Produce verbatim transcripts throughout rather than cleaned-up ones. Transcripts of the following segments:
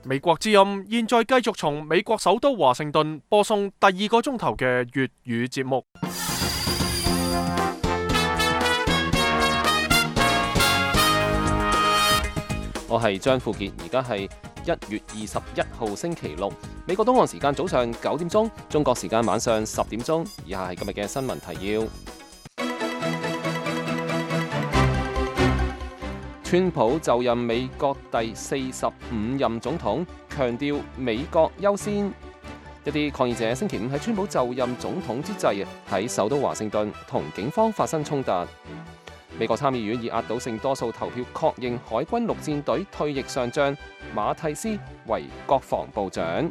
美國之音現在繼續從美國首都華盛頓播送第二個鐘頭嘅粵語節目。我係張富傑，而家係一月二十一號星期六，美國東岸時間早上九點鐘，中國時間晚上十點鐘。以下係今日嘅新聞提要。川普就任美國第四十五任總統，強調美國優先。一啲抗議者星期五喺川普就任總統之際，喺首都華盛頓同警方發生衝突。美國參議院以壓倒性多數投票確認海軍陸戰隊退役上將馬蒂斯為國防部長。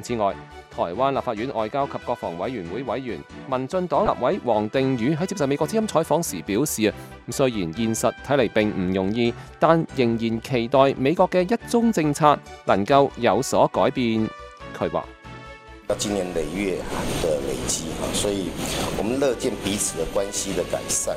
此外，台灣立法院外交及國防委員會委員、民進黨立委黃定宇喺接受美國之音採訪時表示啊，雖然現實睇嚟並唔容易，但仍然期待美國嘅一中政策能夠有所改變。佢話：經年累月的累積，所以我們樂見彼此的關係的改善。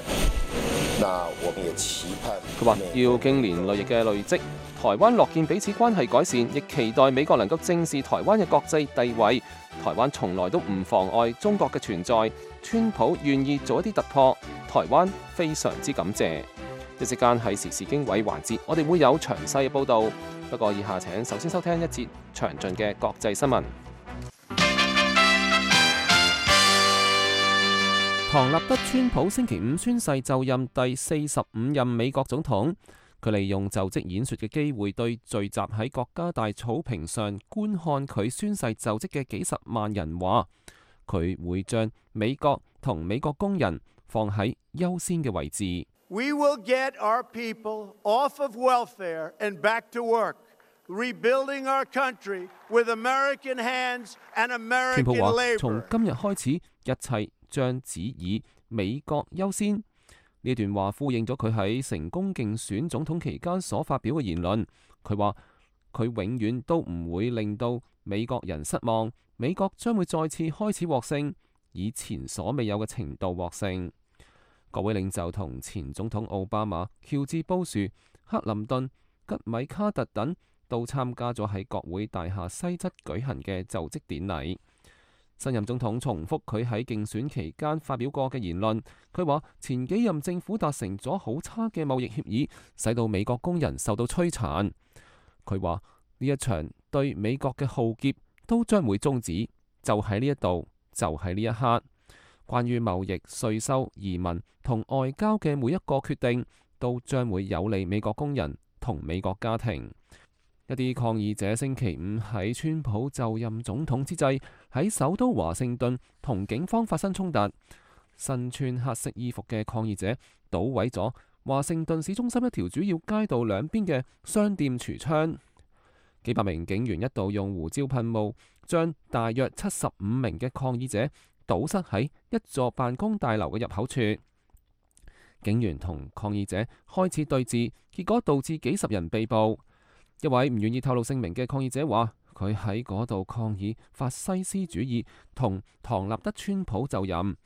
那我們也期盼佢話要經年累月嘅累積，台灣樂見彼此關係改善，亦期待美國能夠正視台灣嘅國際地位。台灣從來都唔妨礙中國嘅存在，川普願意做一啲突破，台灣非常之感謝。一時間喺時事經緯環節，我哋會有詳細嘅報導。不過以下請首先收聽一節詳盡嘅國際新聞。唐納德川普星期五宣誓就任第四十五任美國總統。佢利用就職演說嘅機會，對聚集喺國家大草坪上觀看佢宣誓就職嘅幾十萬人話，佢會將美國同美國工人放喺優先嘅位置。We will get our people off of welfare and back to work, rebuilding our country with American hands and American labor。川普話：從今日開始，一切將只以美國優先。呢段話呼應咗佢喺成功競選總統期間所發表嘅言論。佢話：佢永遠都唔會令到美國人失望，美國將會再次開始獲勝，以前所未有嘅程度獲勝。各位領袖同前總統奧巴馬、喬治布殊、克林頓、吉米卡特等都參加咗喺國會大廈西側舉行嘅就職典禮。新任總統重複佢喺競選期間發表過嘅言論，佢話前幾任政府達成咗好差嘅貿易協議，使到美國工人受到摧殘。佢話呢一場對美國嘅浩劫都將會終止，就喺呢一度，就喺呢一刻。關於貿易、稅收、移民同外交嘅每一個決定，都將會有利美國工人同美國家庭。一啲抗議者星期五喺川普就任總統之際，喺首都華盛頓同警方發生衝突。身穿黑色衣服嘅抗議者搗毀咗華盛頓市中心一條主要街道兩邊嘅商店櫥窗。幾百名警員一度用胡椒噴霧將大約七十五名嘅抗議者堵塞喺一座辦公大樓嘅入口處。警員同抗議者開始對峙，結果導致幾十人被捕。一位唔願意透露姓名嘅抗議者話：佢喺嗰度抗議法西斯主義同唐納德川普就任，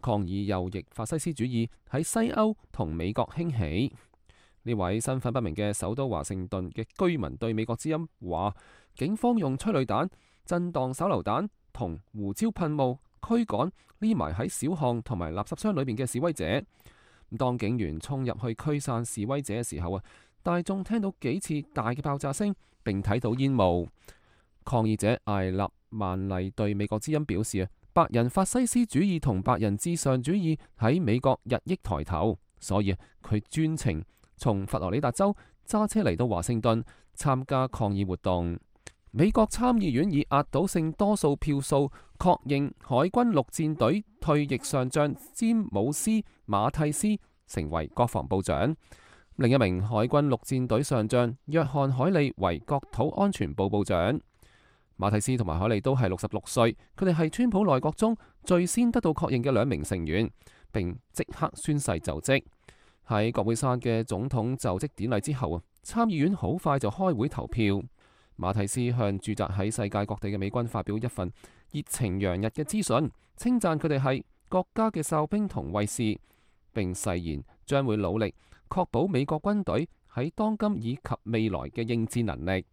抗議右翼法西斯主義喺西歐同美國興起。呢位身份不明嘅首都華盛頓嘅居民對美國之音話：警方用催淚彈、震盪手榴彈同胡椒噴霧驅趕匿埋喺小巷同埋垃圾箱裏面嘅示威者。當警員衝入去驅散示威者嘅時候啊，大眾聽到幾次大嘅爆炸聲，並睇到煙霧。抗議者艾立曼麗對美國之音表示啊，白人法西斯主義同白人至上主義喺美國日益抬頭，所以佢專程從佛羅里達州揸車嚟到華盛頓參加抗議活動。美國參議院以壓倒性多數票數確認海軍陸戰隊退役上將詹姆斯馬蒂斯成為國防部長。另一名海軍陸戰隊上將約翰海利為國土安全部部長。馬蒂斯同埋海利都係六十六歲，佢哋係川普內閣中最先得到確認嘅兩名成員，並即刻宣誓就職。喺國會山嘅總統就職典禮之後啊，參議院好快就開會投票。馬蒂斯向駐紮喺世界各地嘅美軍發表一份熱情洋溢嘅資訊，稱讚佢哋係國家嘅哨兵同衛士，並誓言將會努力確保美國軍隊喺當今以及未來嘅應戰能力。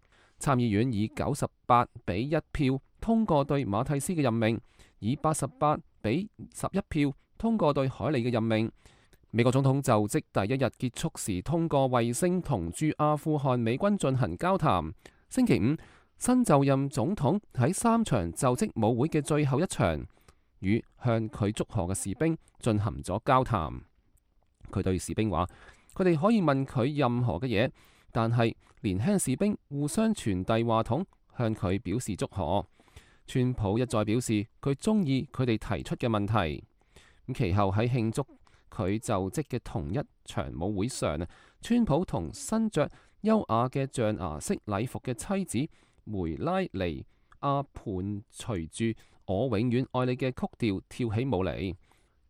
參議院以九十八比一票通過對馬蒂斯嘅任命，以八十八比十一票通過對凱利嘅任命。美國總統就職第一日結束時通過衛星同駐阿富汗美軍進行交談。星期五，新就任總統喺三場就職舞會嘅最後一場，與向佢祝賀嘅士兵進行咗交談。佢對士兵話：佢哋可以問佢任何嘅嘢，但係年輕士兵互相傳遞話筒，向佢表示祝賀。川普一再表示佢中意佢哋提出嘅問題。咁其後喺慶祝佢就職嘅同一場舞會上，川普同身着優雅嘅象牙式禮服嘅妻子梅拉尼亞伴隨住我永遠愛你嘅曲調跳起舞嚟。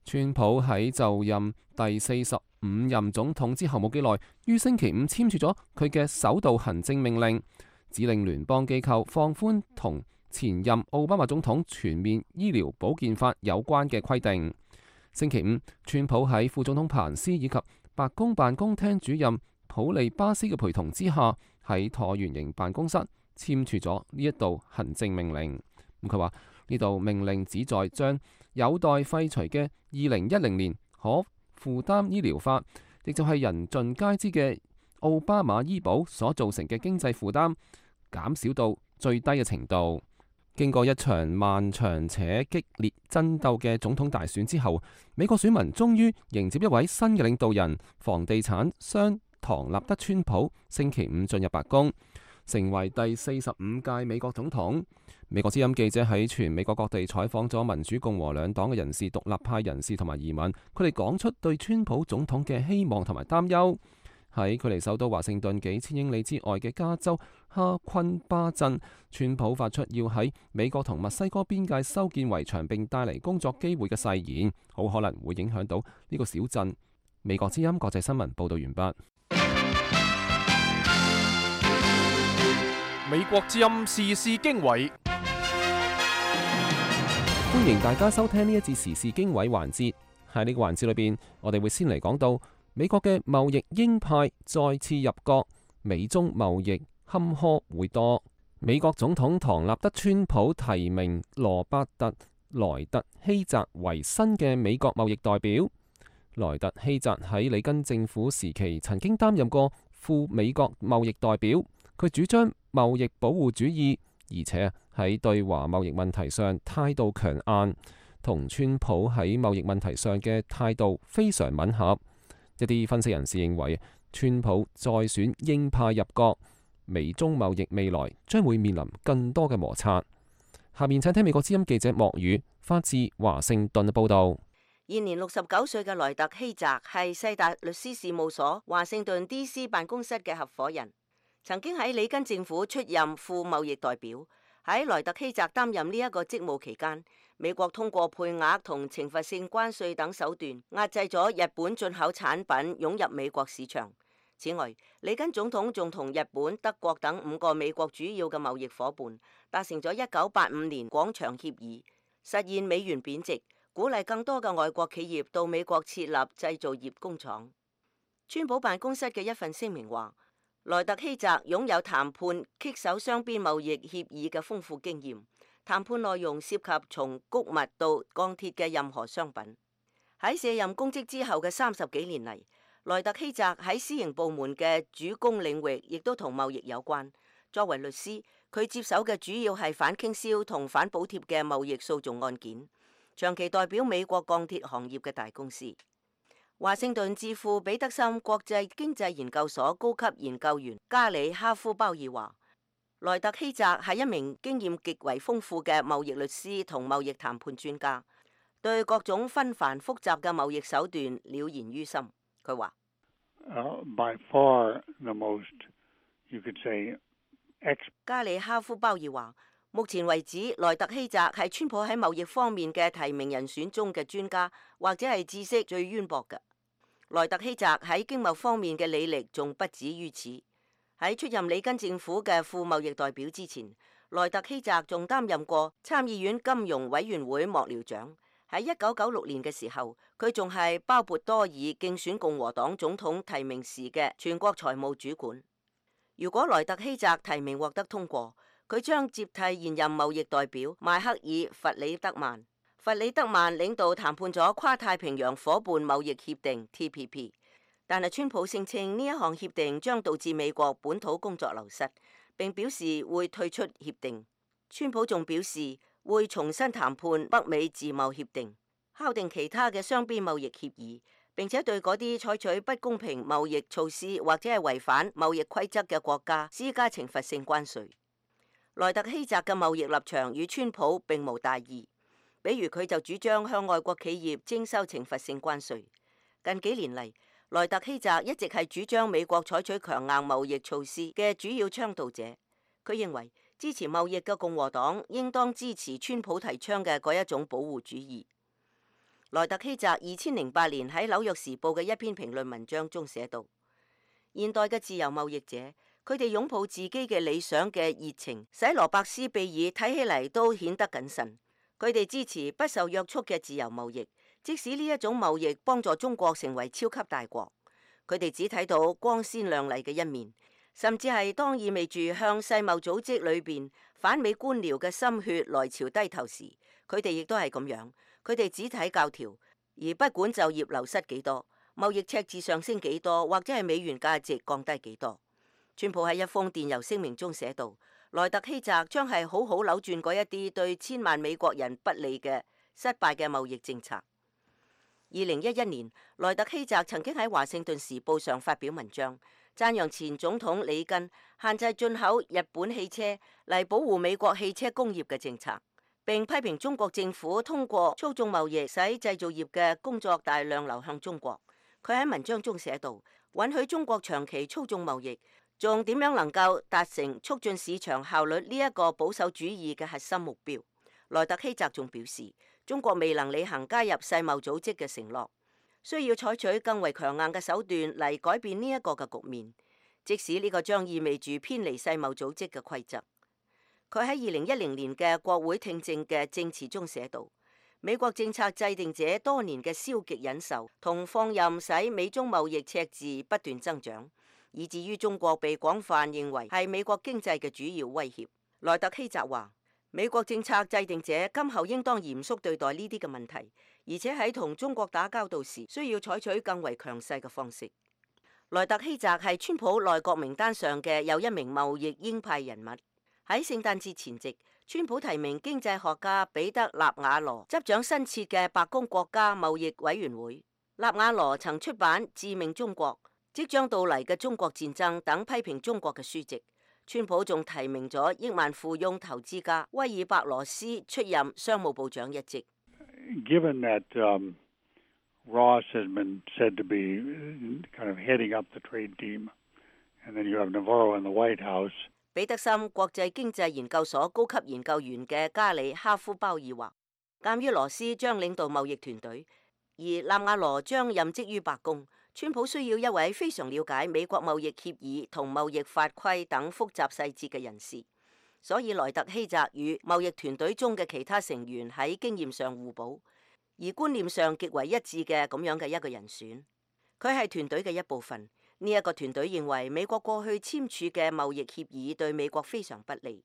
川普喺就任第四十五任總統之後冇幾耐，於星期五簽署咗佢嘅首道行政命令，指令聯邦機構放寬同前任奧巴馬總統全面醫療保健法有關嘅規定。星期五，川普喺副總統彭斯以及白宮辦公廳主任普利巴斯嘅陪同之下，喺橢圓形辦公室簽署咗呢一道行政命令。咁佢話呢道命令旨在將有待廢除嘅二零一零年可負擔醫療法，亦就係人盡皆知嘅奧巴馬醫保所造成嘅經濟負擔，減少到最低嘅程度。經過一場漫長且激烈爭鬥嘅總統大選之後，美國選民終於迎接一位新嘅領導人——房地產商唐納德·川普，星期五進入白宮，成為第四十五屆美國總統。美國之音記者喺全美國各地採訪咗民主共和兩黨嘅人士、獨立派人士同埋移民，佢哋講出對川普總統嘅希望同埋擔憂。喺距離首都華盛頓幾千英里之外嘅加州哈昆巴鎮，川普發出要喺美國同墨西哥邊界修建圍牆並帶嚟工作機會嘅誓言，好可能會影響到呢個小鎮。美國之音國際新聞報道完畢。美國之音時事經緯，歡迎大家收聽呢一節時事經緯環節。喺呢個環節裏邊，我哋會先嚟講到美國嘅貿易鷹派再次入閣，美中貿易坎坷會多。美國總統唐納德·川普提名羅伯特·萊特希澤為新嘅美國貿易代表。萊特希澤喺里根政府時期曾經擔任過副美國貿易代表，佢主張貿易保護主義，而且喺對華貿易問題上態度強硬，同川普喺貿易問題上嘅態度非常吻合。一啲分析人士認為，川普再選鷹派入閣，美中貿易未來將會面臨更多嘅摩擦。下面請聽美國之音記者莫宇發自華盛頓嘅報道。現年六十九歲嘅萊特希澤係世達律師事務所華盛頓 D C 辦公室嘅合夥人，曾經喺里根政府出任副貿易代表。喺萊特希澤擔任呢一個職務期間，美國通過配額同懲罰性關稅等手段壓制咗日本進口產品湧入美國市場。此外，里根總統仲同日本、德國等五個美國主要嘅貿易夥伴達成咗一九八五年廣場協議，實現美元貶值，鼓勵更多嘅外國企業到美國設立製造業工廠。川普辦公室嘅一份聲明話，萊特希澤擁有談判棘手雙邊貿易協議嘅豐富經驗，談判內容涉及從穀物到鋼鐵嘅任何商品。喺卸任公職之後嘅三十幾年嚟，萊特希澤喺私營部門嘅主攻領域亦都同貿易有關。作為律師，佢接手嘅主要係反傾銷同反補貼嘅貿易訴訟案件，長期代表美國鋼鐵行業嘅大公司。華盛頓智庫彼得森國際經濟研究所高級研究員加里哈夫鮑爾話，萊特希澤係一名經驗極為豐富嘅貿易律師同貿易談判專家，對各種紛繁複雜嘅貿易手段了然於心。佢話Uh, by far the most, you could say, ex- 加里哈夫鮑爾話，目前為止，萊特希澤係川普喺貿易方面嘅提名人選中嘅專家，或者係知識最淵博嘅。萊特希澤喺經貿方面嘅履歷仲不止於此。喺出任里根政府嘅副貿易代表之前，萊特希澤仲擔任過參議院金融委員會幕僚長。喺一九九六年嘅時候，佢仲係鮑勃多爾競選共和黨總統提名時嘅全國財務主管。如果萊特希澤提名獲得通過，佢將接替現任貿易代表邁克爾·弗里德曼。弗里德曼領導談判咗跨太平洋夥伴貿易協定 T P P， 但係川普聲稱呢一項協定將導致美國本土工作流失，並表示會退出協定。川普仲表示會重新談判北美自貿協定，敲定其他嘅雙邊貿易協議，並且對嗰啲採取不公平貿易措施或者係違反貿易規則嘅國家施加懲罰性關稅。萊特希澤嘅貿易立場與川普並無大異。比如佢就主張向外國企業徵收懲罰性關稅。近幾年嚟，萊特希澤一直係主張美國採取強硬貿易措施嘅主要倡導者。佢認為支持貿易嘅共和黨應當支持川普提倡嘅嗰一種保護主義。萊特希澤二千零八年喺紐約時報嘅一篇評論文章中寫道：現代嘅自由貿易者，佢哋擁抱自己嘅理想嘅熱情，使羅伯斯庇爾睇起嚟都顯得謹慎。佢哋支持不受約束嘅自由貿易，即使呢一種貿易幫助中國成為超級大國。佢哋只睇到光鮮亮麗嘅一面，甚至係當意味住向世貿組織裏邊反美官僚嘅心血來潮低頭時，佢哋亦都係咁樣。佢哋只睇教條，而不管就業流失幾多，貿易赤字上升幾多，或者係美元價值降低幾多。川普喺一封電郵聲明中寫道：萊特希澤將係好好扭轉嗰一啲對千萬美國人不利嘅失敗嘅貿易政策。二零一一年，萊特希澤曾經喺華盛頓時報上發表文章，讚揚前總統里根限制進口日本汽車嚟保護美國汽車工業嘅政策，並批評中國政府通過操縱貿易使製造業嘅工作大量流向中國。佢喺文章中寫道：允許中國長期操縱貿易，仲點樣能夠達成促進市場效率呢一個保守主義嘅核心目標？萊特希澤仲表示，中國未能履行加入世貿組織嘅承諾，需要採取更為強硬嘅手段嚟改變呢一個嘅局面，即使呢個將意味住偏離世貿組織嘅規則。佢喺二零一零年嘅國會聽證嘅證詞中寫道：美國政策制定者多年嘅消極忍受同放任使美中貿易赤字不斷增長，以至於中國被廣泛認為係美國經濟嘅主要威脅。萊特希澤話：美國政策制定者今後應當嚴肅對待呢啲嘅問題，而且喺同中國打交道時需要採取更為強勢嘅方式。萊特希澤係川普內閣名單上嘅又一名貿易鷹派人物。喺聖誕節前夕，川普提名經濟學家彼得納瓦羅執掌新設嘅白宮國家貿易委員會。納瓦羅曾出版《致命中國》、即將到嚟嘅中國戰爭等批評中國嘅書籍。川普仲提名咗億萬富翁投資家威爾伯羅斯出任商務部長一職。Given that um, Ross has been said to be kind of heading up the trade team, and then you have Navarro in the White House. 彼得森國際經濟研究所高級研究員嘅加里哈夫鮑爾話，鑑於羅斯將領導貿易團隊，而納瓦羅將任職於白宮，川普需要一位非常了解美國貿易協議同貿易法規等複雜細節嘅人士，所以萊特希澤與貿易團隊中嘅其他成員喺經驗上互補，而觀念上極為一致嘅咁樣嘅一個人選。佢係團隊嘅一部分。呢一個團隊認為美國過去簽署嘅貿易協議對美國非常不利，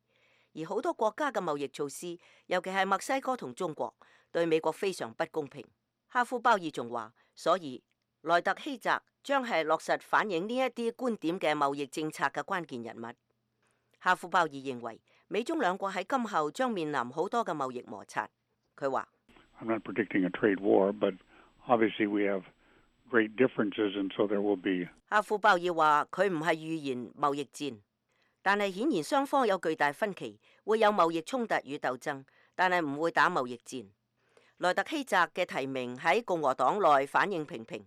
而好多國家嘅貿易措施，尤其係墨西哥同中國，對美國非常不公平。哈夫鮑爾仲話，所以萊特希澤將係落實反映呢一啲觀點嘅貿易政策嘅關鍵人物。哈夫鮑爾認為美中兩國喺今後將面臨好多嘅貿易摩擦。佢話I'm not predicting a trade war, but obviously we have great differences, and so there will be. 哈夫鮑爾話佢唔係預言貿易戰，但係顯然雙方有巨大分歧，會有貿易衝突與鬥爭，但係唔會打貿易戰。萊特希澤嘅提名喺共和黨內反應平平。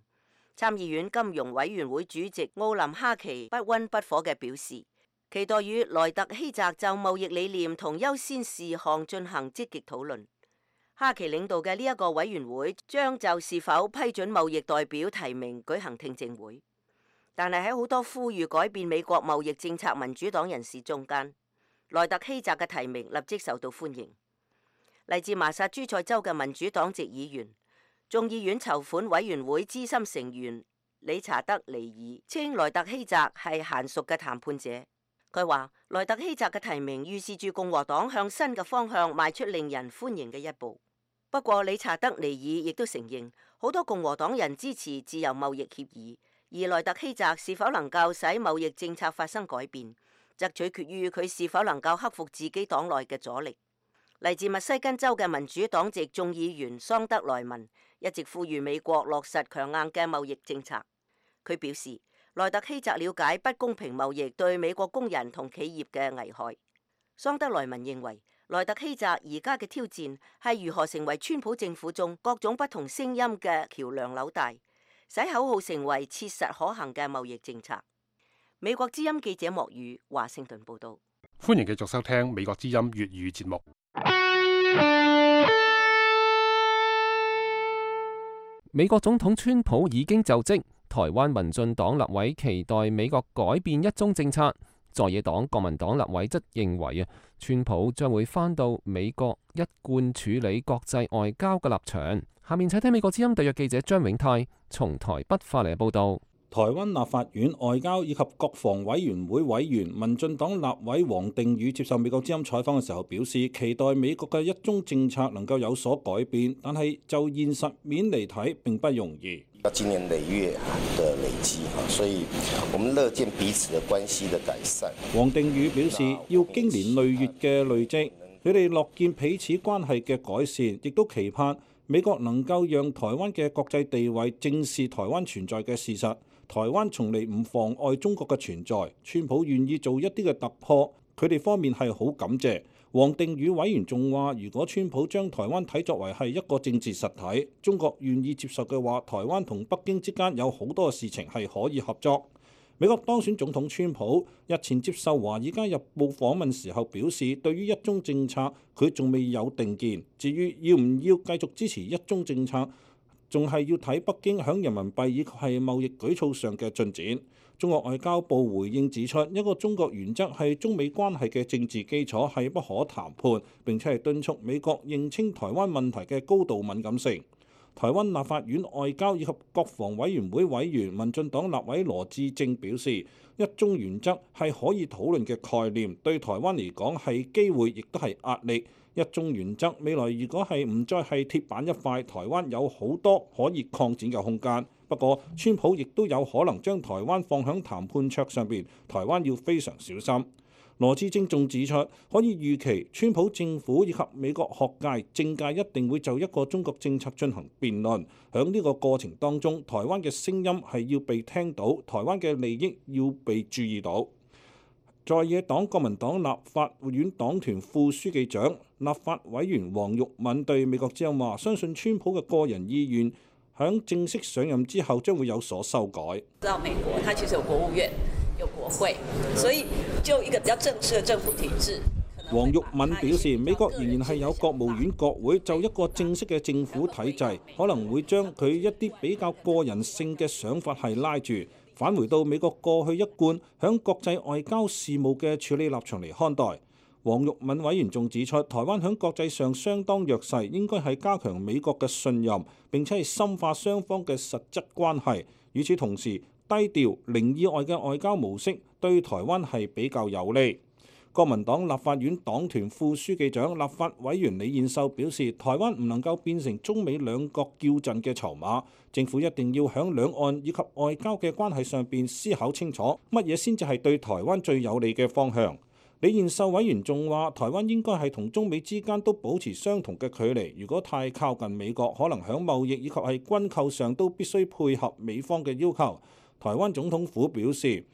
參議院金融委員會主席奧林哈奇不溫不火嘅表示，期待與萊特希澤就貿易理念同優先事項進行積極討論。哈奇領導嘅呢一個委員會將就是否批准貿易代表提名舉行聽證會，但係喺好多呼籲改變美國貿易政策民主黨人士中間，萊特希澤嘅提名立即受到歡迎。嚟自麻薩諸塞州嘅民主黨籍議員、眾議院籌款委員會資深成員理查德尼爾稱萊特希澤係嫻熟嘅談判者，佢話萊特希澤嘅提名預示住共和黨向新嘅方向邁出令人歡迎嘅一步。不過理查德尼爾亦都承認，好多共和黨人支持自由貿易協議，而萊特希澤是否能夠使貿易政策發生改變，則取決於佢是否能夠克服自己黨內嘅阻力。嚟自密西根州嘅民主黨籍眾議員桑德萊文一直呼籲美國落實強硬嘅貿易政策。佢表示，萊特希澤了解不公平貿易對美國工人同企業嘅危害。桑德萊文認為，萊特希澤而家嘅挑戰係如何成為川普政府中各種不同聲音嘅橋梁紐帶，使口號成為切實可行嘅貿易政策。美國之音記者莫宇華盛頓報道。歡迎繼續收聽美國之音粵語節目。美國總統川普已經就職，台灣民進黨立委期待美國改變一中政策，在野黨國民黨立委則認為啊，川普將會返到美國一貫處理國際外交嘅立場。下面請聽美國之音特約記者張永泰從台北發嚟報道。台灣立法院外交以及國防委員會委員民進黨立委王定宇接受美國之音採訪嘅時候表示，期待美國嘅一中政策能夠有所改變，但係就現實面嚟睇並不容易。要經年累月的累積，所以我們樂見彼此的關係的改善。王定宇表示，要經年累月嘅累積，佢哋樂見彼此關係嘅改善，亦都期盼美國能夠讓台灣嘅國際地位正視台灣存在嘅事實。台灣從嚟唔妨礙中國嘅存在，川普願意做一啲嘅突破，佢哋方面係好感謝。王定宇委員仲話，如果川普將台灣睇作為係一個政治實體，中國願意接受嘅話，台灣同北京之間有好多事情係可以合作。美國當選總統川普日前接受《華爾街日報》訪問時候表示，對於一中政策佢仲未有定見，至於要唔要繼續支持一中政策，仲係要睇北京響人民幣以及係貿易舉措上嘅進展。中國外交部回應指出，一個中國原則係中美關係嘅政治基礎，係不可談判，並且係敦促美國認清台灣問題嘅高度敏感性。台灣立法院外交以及國防委員會委員民進黨立委羅致政表示，一中原則係可以討論嘅概念，對台灣嚟講係機會，亦都係壓力。一中原則未來如果係唔再係鐵板一塊，台灣有好多可以擴展嘅空間。不過，川普亦都有可能將台灣放響談判桌上邊，台灣要非常小心。羅致政仲指出，可以預期川普政府以及美國學界、政界一定會就一個中國政策進行辯論。響呢個過程當中，台灣嘅聲音係要被聽到，台灣嘅利益要被注意到。在野黨國民黨立法院黨團副書記長、立法委員黃玉敏對美國之音話，相信川普嘅個人意願響正式上任之後將會有所修改。知道美國，它其實有國務院、有國會，所以就一個比較正式嘅政府體制。黃玉敏表示，美國仍然係有國務院、國會，就一個正式嘅政府體制，可能會將佢一啲比較個人性嘅想法係拉住。返回到美國過去一貫響國際外交事務嘅處理立場嚟看待。黃玉敏委員仲指出，台灣響國際上相當弱勢，應該係加強美國嘅信任，並且係深化雙方嘅實質關係。與此同時，低調零意外嘅外交模式對台灣係比較有利。國民黨立法院黨團副書記長、立法委員李彥秀表示，台灣唔能夠變成中美兩國叫陣嘅籌碼，政府一定要響兩岸以及外交嘅關係上邊思考清楚，乜嘢先至係對台灣最有利嘅方向。李彥秀委員仲話，台灣應該係同中美之間都保持相同嘅距離，如果太靠近美國，可能響貿易以及係軍購上都必須配合美方嘅要求。台灣總統府表示，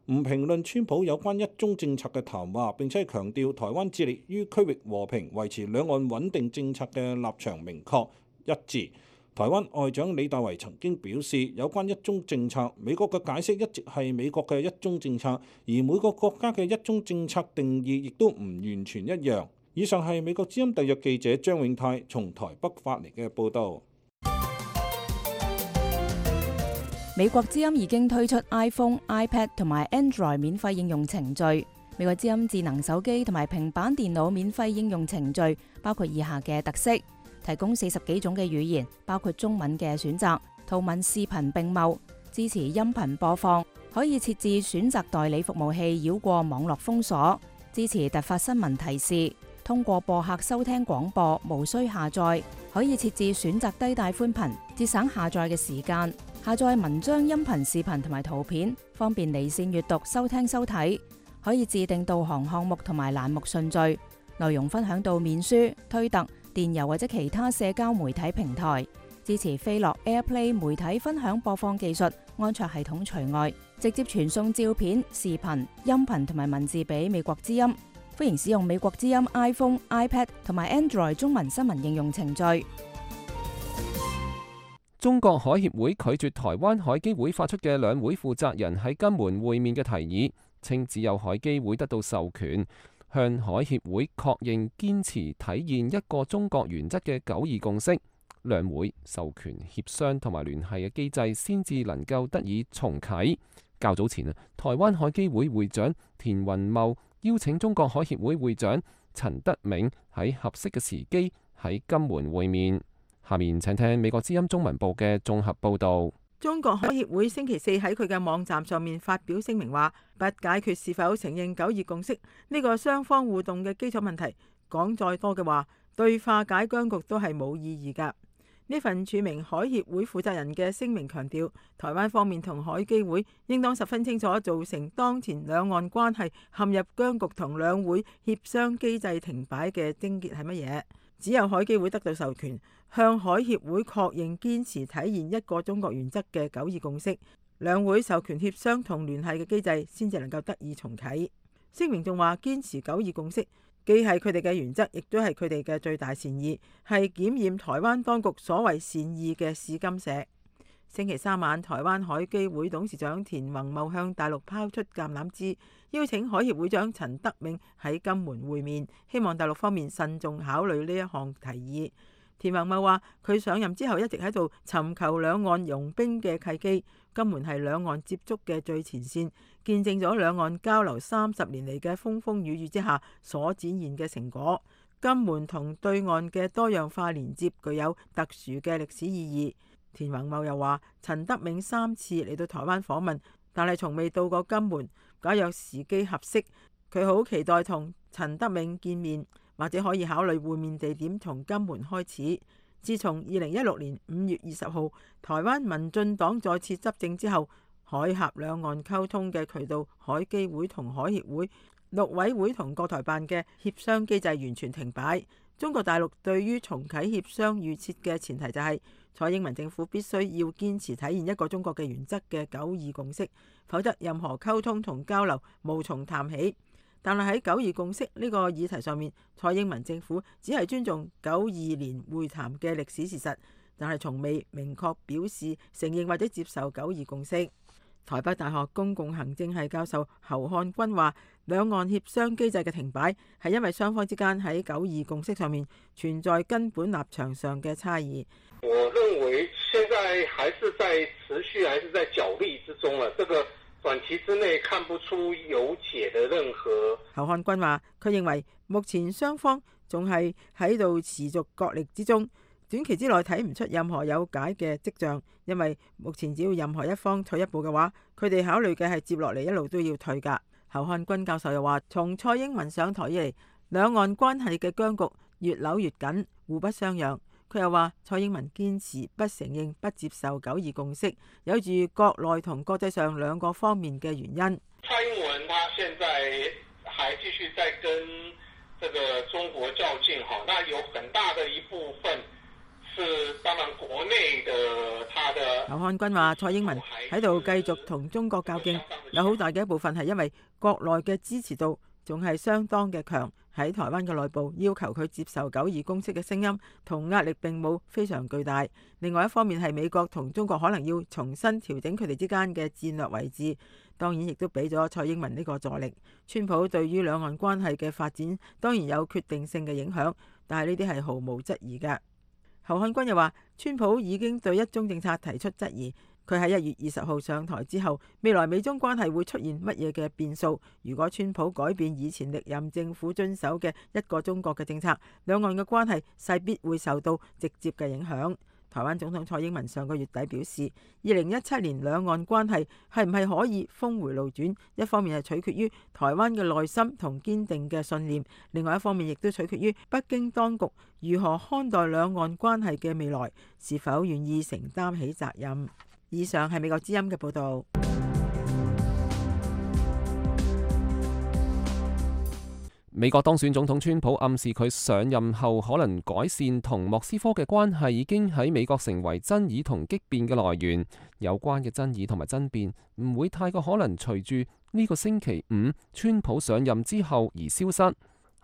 唔評論川普有關一中政策嘅談話，並且強調台灣致力於區域和平、維持兩岸穩定政策嘅立場明確一致。台灣外長李大維曾經表示，有關一中政策，美國嘅解釋一直係美國嘅一中政策，而每個國家嘅一中政策定義亦都唔完全一樣。以上係美國之音特約記者張永泰從台北發嚟嘅報導。美國之音已經推出 iPhone、iPad 同埋 Android 免費應用程序。美國之音智能手機同埋平板電腦免費應用程序包括以下嘅特色：提供四十幾種嘅語言，包括中文嘅選擇，圖文視頻並茂，支持音頻播放，可以設置選擇代理服務器繞過網絡封鎖，支持突發新聞提示，通過播客收聽廣播無需下載，可以設置選擇低帶寬頻，節省下載嘅時間，下載文章、音頻、視頻同埋圖片，方便離線閱讀、收聽收睇，可以自定導航項目同埋欄目順序，內容分享到面書、推特、電郵或者其他社交媒體平台，支持飛樂 AirPlay 媒體分享播放技術，安卓系統除外，直接傳送照片、視頻、音頻同埋文字俾美國之音。歡迎使用美國之音 iPhone、iPad 同埋 Android 中文新聞應用程序。中國海協會拒絕台灣海基會發出嘅兩會負責人喺金門會面嘅提議，稱只有海基會得到授權，向海協會確認堅持體現一個中國原則嘅九二共識，兩會授權協商同埋聯繫嘅機制先至能夠得以重啟。較早前啊，台灣海基會會長田雲茂邀請中國海協會會長陳德銘喺合適嘅時機喺金門會面。下面請聽美國之音中文部嘅綜合報導。中國海協會星期四喺佢嘅網站上面發表聲明話，不解決是否承認九二共識呢個雙方互動嘅基礎問題，講再多嘅話，對化解僵局都係冇意義㗎。呢份署名海協會負責人嘅聲明強調，台灣方面同海基會應當十分清楚造成當前兩岸關係陷入僵局同兩會協商機制停擺嘅症結係乜嘢？只有海基會得到授權，向海協會確認堅持體現一個中國原則嘅九二共識，兩會授權協商同聯繫嘅機制先至能夠得以重啟。聲明仲話，堅持九二共識既係佢哋嘅原則，亦都係佢哋嘅最大善意，係檢驗台灣當局所謂善意嘅試金石。星期三晚，台灣海基會董事長田宏茂向大陸拋出橄欖枝，邀請海協會長陳德銘喺金門會面，希望大陸方面慎重考慮呢一項提議。田宏茂話：佢上任之後一直喺度尋求兩岸融冰嘅契機，金門係兩岸接觸嘅最前線，見證咗兩岸交流三十年嚟嘅風風雨雨之下所展現嘅成果。金門同對岸嘅多樣化連接具有特殊嘅歷史意義。田宏茂又話：陳德銘三次嚟到台灣訪問，但係從未到過金門。假若時機合適，佢好期待同陳德銘見面，或者可以考慮會面地點從金門開始。自從二零一六年五月二十號台灣民進黨再次執政之後，海峽兩岸溝通嘅渠道，海基會同海協會、陸委會同國台辦嘅協商機制完全停擺。中國大陸對於重啟協商預設嘅前提就係蔡英文政府必須要堅持體現一個中國嘅原則嘅九二共識，否則任何溝通同交流無從談起。但係喺九二共識呢個議題上面，蔡英文政府只係尊重九二年會談嘅歷史事實，但係從未明確表示承認或者接受九二共識。台北大學公共行政系教授侯漢軍話：兩岸協商機制嘅停擺係因為雙方之間喺九二共識上面存在根本立場上嘅差異。我認為現在還是在持續，還是在角力之中了。這個短期之內看不出有解的任何。侯漢軍話：佢認為目前雙方仲係喺度持續角力之中。短期之內睇唔出任何有解嘅跡象，因為目前只要任何一方退一步嘅話，佢哋考慮嘅係接落嚟一路都要退㗎。侯漢軍教授又話：從蔡英文上台以嚟，兩岸關係嘅僵局越扭越緊，互不相讓。佢又話：蔡英文堅持不承認、不接受九二共識，有住國內同國際上兩個方面嘅原因。蔡英文他現在還繼續在跟這個中國較勁，哈，那有很大的一部分。當然國內的他的劉漢軍話：蔡英文喺度繼續同中國較勁，有好大嘅一部分係因為國內嘅支持度仲係相當嘅強，喺台灣嘅內部要求佢接受九二共識嘅聲音同壓力並冇非常巨大。另外一方面係美國同中國可能要重新調整佢哋之間嘅戰略位置，當然亦都俾咗蔡英文呢個助力。川普對於兩岸關係嘅發展當然有決定性嘅影響，但係呢啲係毫無質疑嘅。侯漢軍又話：川普已經對一中政策提出質疑。佢喺一月二十號上台之後，未來美中關係會出現乜嘢嘅變數？如果川普改變以前歷任政府遵守嘅一個中國嘅政策，兩岸嘅關係勢必會受到直接嘅影響。台灣總統蔡英文上個月底表示，二零一七年兩岸關係係唔係可以峰回路轉，一方面係取決於台灣嘅內心同堅定嘅信念，另外一方面亦都取決於北京當局如何看待兩岸關係嘅未來，是否願意承擔起責任。以上係美國之音嘅報導。美國當選總統川普暗示佢上任後可能改善同莫斯科嘅關係，已經喺美國成為爭議同激變嘅來源。有關嘅爭議同埋爭辯唔會太過可能隨住呢個星期五川普上任之後而消失。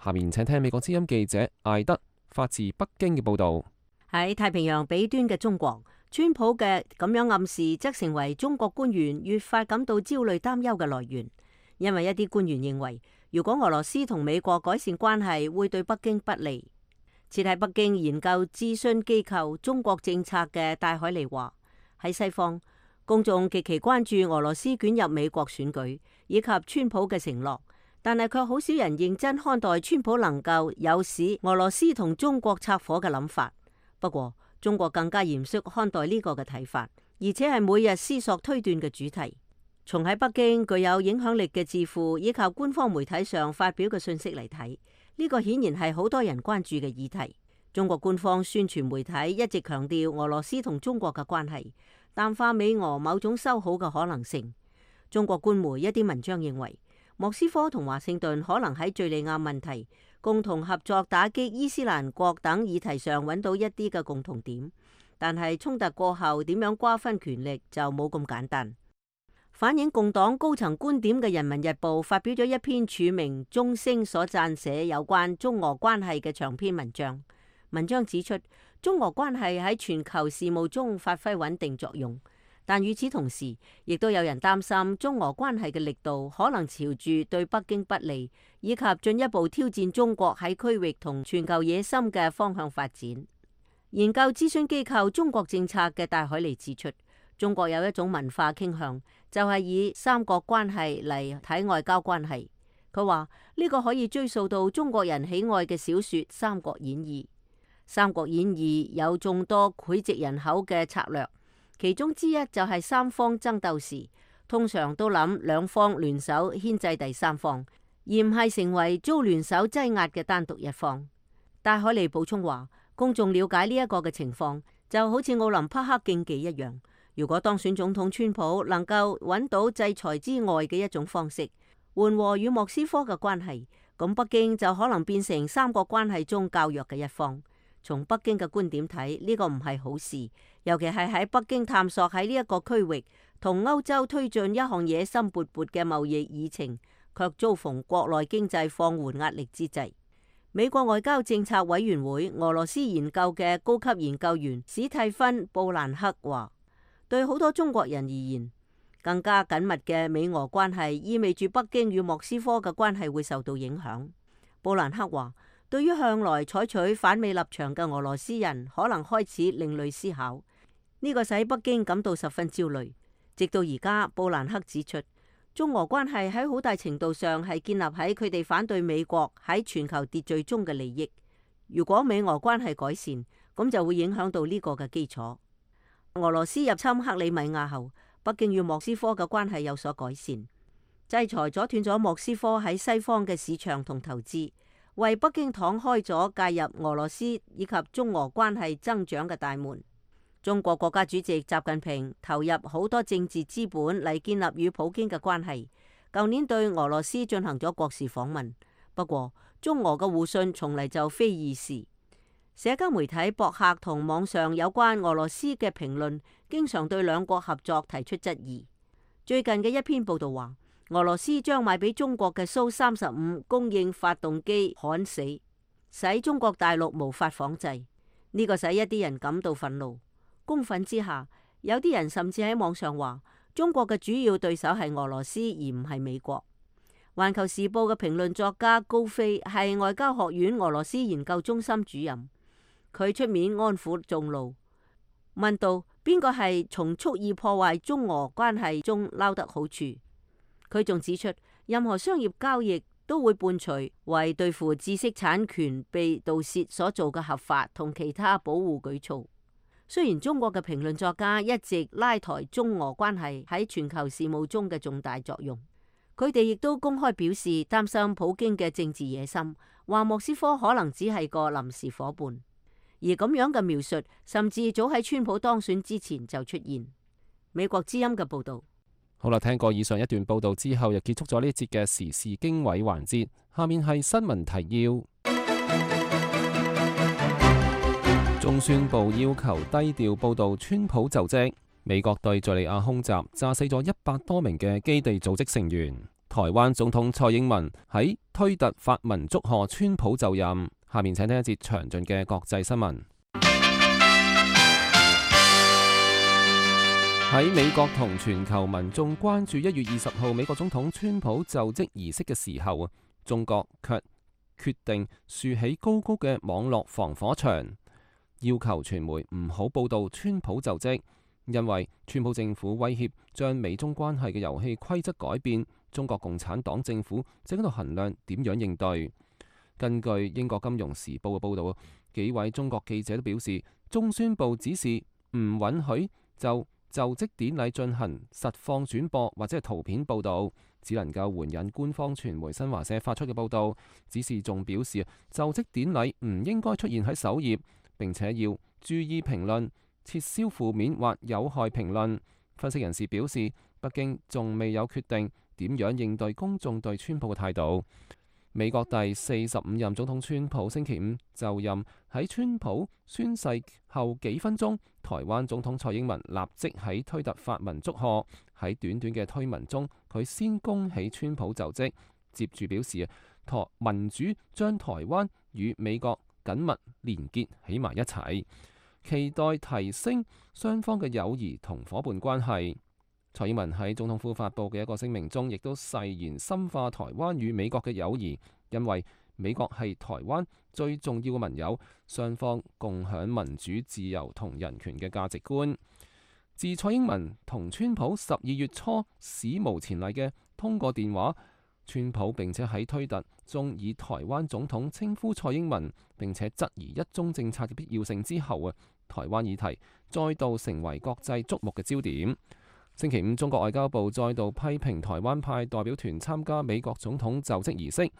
下面請聽美國之音記者艾德發自北京嘅報導。喺太平洋彼端嘅中國，川普嘅咁樣暗示則成為中國官員越發感到焦慮擔憂嘅來源，因為一啲官員認為，如果俄羅斯同美國改善關係，會對北京不利。設喺北京研究諮詢機構中國政策嘅戴海尼話：喺西方，公眾極其關注俄羅斯捲入美國選舉以及川普嘅承諾，但係卻好少人認真看待川普能夠有使俄羅斯同中國拆夥嘅諗法。不過，中國更加嚴肅看待呢個嘅睇法，而且係每日思索推斷嘅主題。從喺北京具有影響力嘅智庫以及官方媒體上發表嘅信息嚟睇，呢個顯然係好多人關注嘅議題。中國官方宣傳媒體一直強調俄羅斯同中國嘅關係，淡化美俄某種修好嘅可能性。中國官媒一啲文章認為，莫斯科同華盛頓可能喺敘利亞問題、共同合作打擊伊斯蘭國等議題上揾到一啲嘅共同點，但係衝突過後點樣瓜分權力就冇咁簡單。反映共黨高層觀點嘅《人民日報》發表咗一篇署名鐘聲所撰寫有關中俄關係嘅長篇文章。文章指出，中俄關係喺全球事務中發揮穩定作用，但與此同時，亦都有人擔心中俄關係嘅力度可能朝住對北京不利，以及進一步挑戰中國喺區域同全球野心嘅方向發展。研究諮詢機構中國政策嘅戴海尼指出，中國有一種文化傾向，就係以三角關係嚟睇外交關係。佢話呢個可以追溯到中國人喜愛嘅小說《三國演義》。《三國演義》有眾多膾炙人口嘅策略，其中之一就係三方爭鬥時，通常都諗兩方聯手牽制第三方，而唔係成為遭聯手擠壓嘅單獨一方。戴海尼補充話，公眾了解呢一個嘅情況，就好似奧林匹克競技一樣。如果當選總統川普能夠揾到制裁之外嘅一種方式，緩和與莫斯科嘅關係，咁北京就可能變成三國關係中較弱嘅一方。從北京嘅觀點睇，呢個唔係好事，尤其係喺北京探索喺呢一個區域同歐洲推進一項野心勃勃嘅貿易議程，卻遭逢國內經濟放緩壓力之際。美國外交政策委員會俄羅斯研究嘅高級研究員史蒂芬布蘭克話，對好多中國人而言，更加緊密嘅美俄關係意味住北京與莫斯科嘅關係會受到影響。布蘭克話，對於向來採取反美立場嘅俄羅斯人，可能開始另類思考，呢個使北京感到十分焦慮。直到而家，布蘭克指出，中俄關係喺好大程度上係建立喺佢哋反對美國喺全球秩序中嘅利益。如果美俄關係改善，咁就會影響到呢個嘅基礎。俄羅斯入侵克里米亞後，北京與莫斯科嘅關係有所改善，制裁阻斷咗莫斯科喺西方嘅市場同投資，為北京敞開咗介入俄羅斯以及中俄關係增長嘅大門。中國國家主席習近平投入好多政治資本嚟建立與普京嘅關係，舊年對俄羅斯進行咗國事訪問。不過，中俄嘅互信從嚟就非易事。社交媒體、博客同網上有關俄羅斯嘅評論，經常對兩國合作提出質疑。最近嘅一篇報道話，俄羅斯將賣俾中國嘅蘇三十五供應發動機焊死，使中國大陸無法仿製。呢個使一啲人感到憤怒。公憤之下，有啲人甚至喺網上話，中國嘅主要對手係俄羅斯，而唔係美國。環球時報嘅評論作家高飛係外交學院俄羅斯研究中心主任。佢出面安撫眾怒，問道邊個係從蓄意破壞中俄關係中撈得好處？佢仲指出，任何商業交易都會伴隨為對付知識產權被盜竊所做嘅合法同其他保護舉措。雖然中國嘅評論作家一直拉抬中俄關係喺全球事務中嘅重大作用，佢哋亦都公開表示擔心普京嘅政治野心，話莫斯科可能只係個臨時夥伴。而咁樣嘅描述，甚至早喺川普當選之前就出現。美國之音嘅報導。好啦，聽過以上一段報導之後，又結束咗呢一節嘅時事經緯環節。下面係新聞提要。中宣部要求低調報導川普就職。美國對敘利亞空襲，炸死咗一百多名嘅基地組織成員。台灣總統蔡英文喺推特發文祝賀川普就任。下面請聽一節詳盡嘅國際新聞。喺美國同全球民眾關注一月二十號美國總統川普就職儀式嘅時候，中國卻決定豎起高高嘅網絡防火牆，要求傳媒唔好報導川普就職，因為川普政府威脅將美中關係嘅遊戲規則改變，中國共產黨政府正喺度衡量點樣應對。根據英國金融時報嘅報導，幾位中國記者都表示，中宣部指示唔允許就就職典禮進行實況轉播或者係圖片報導，只能夠援引官方傳媒新華社發出嘅報導。指示仲表示，就職典禮唔應該出現喺首頁，並且要注意評論，撤銷負面或有害評論。分析人士表示，北京仲未有決定點樣應對公眾對川普嘅態度。美國第四十五任總統川普星期五就任，喺川普宣誓後幾分鐘，台灣總統蔡英文立即喺推特發文祝賀。喺短短嘅推文中，佢先恭喜川普就職，接住表示台民主將台灣與美國緊密連結起埋一齊，期待提升雙方嘅友誼同夥伴關係。蔡英文喺總統府發布嘅一個聲明中，亦都誓言深化台灣與美國嘅友誼，因為美國係台灣最重要嘅盟友，雙方共享民主、自由同人權嘅價值觀。自蔡英文同川普十二月初史無前例嘅通過電話，川普並且喺推特中以台灣總統稱呼蔡英文，並且質疑一中政策嘅必要性之後啊，台灣議題再度成為國際矚目嘅焦點。星期五，中國外交部再度批評台灣派代表團參加美國總統就職儀式。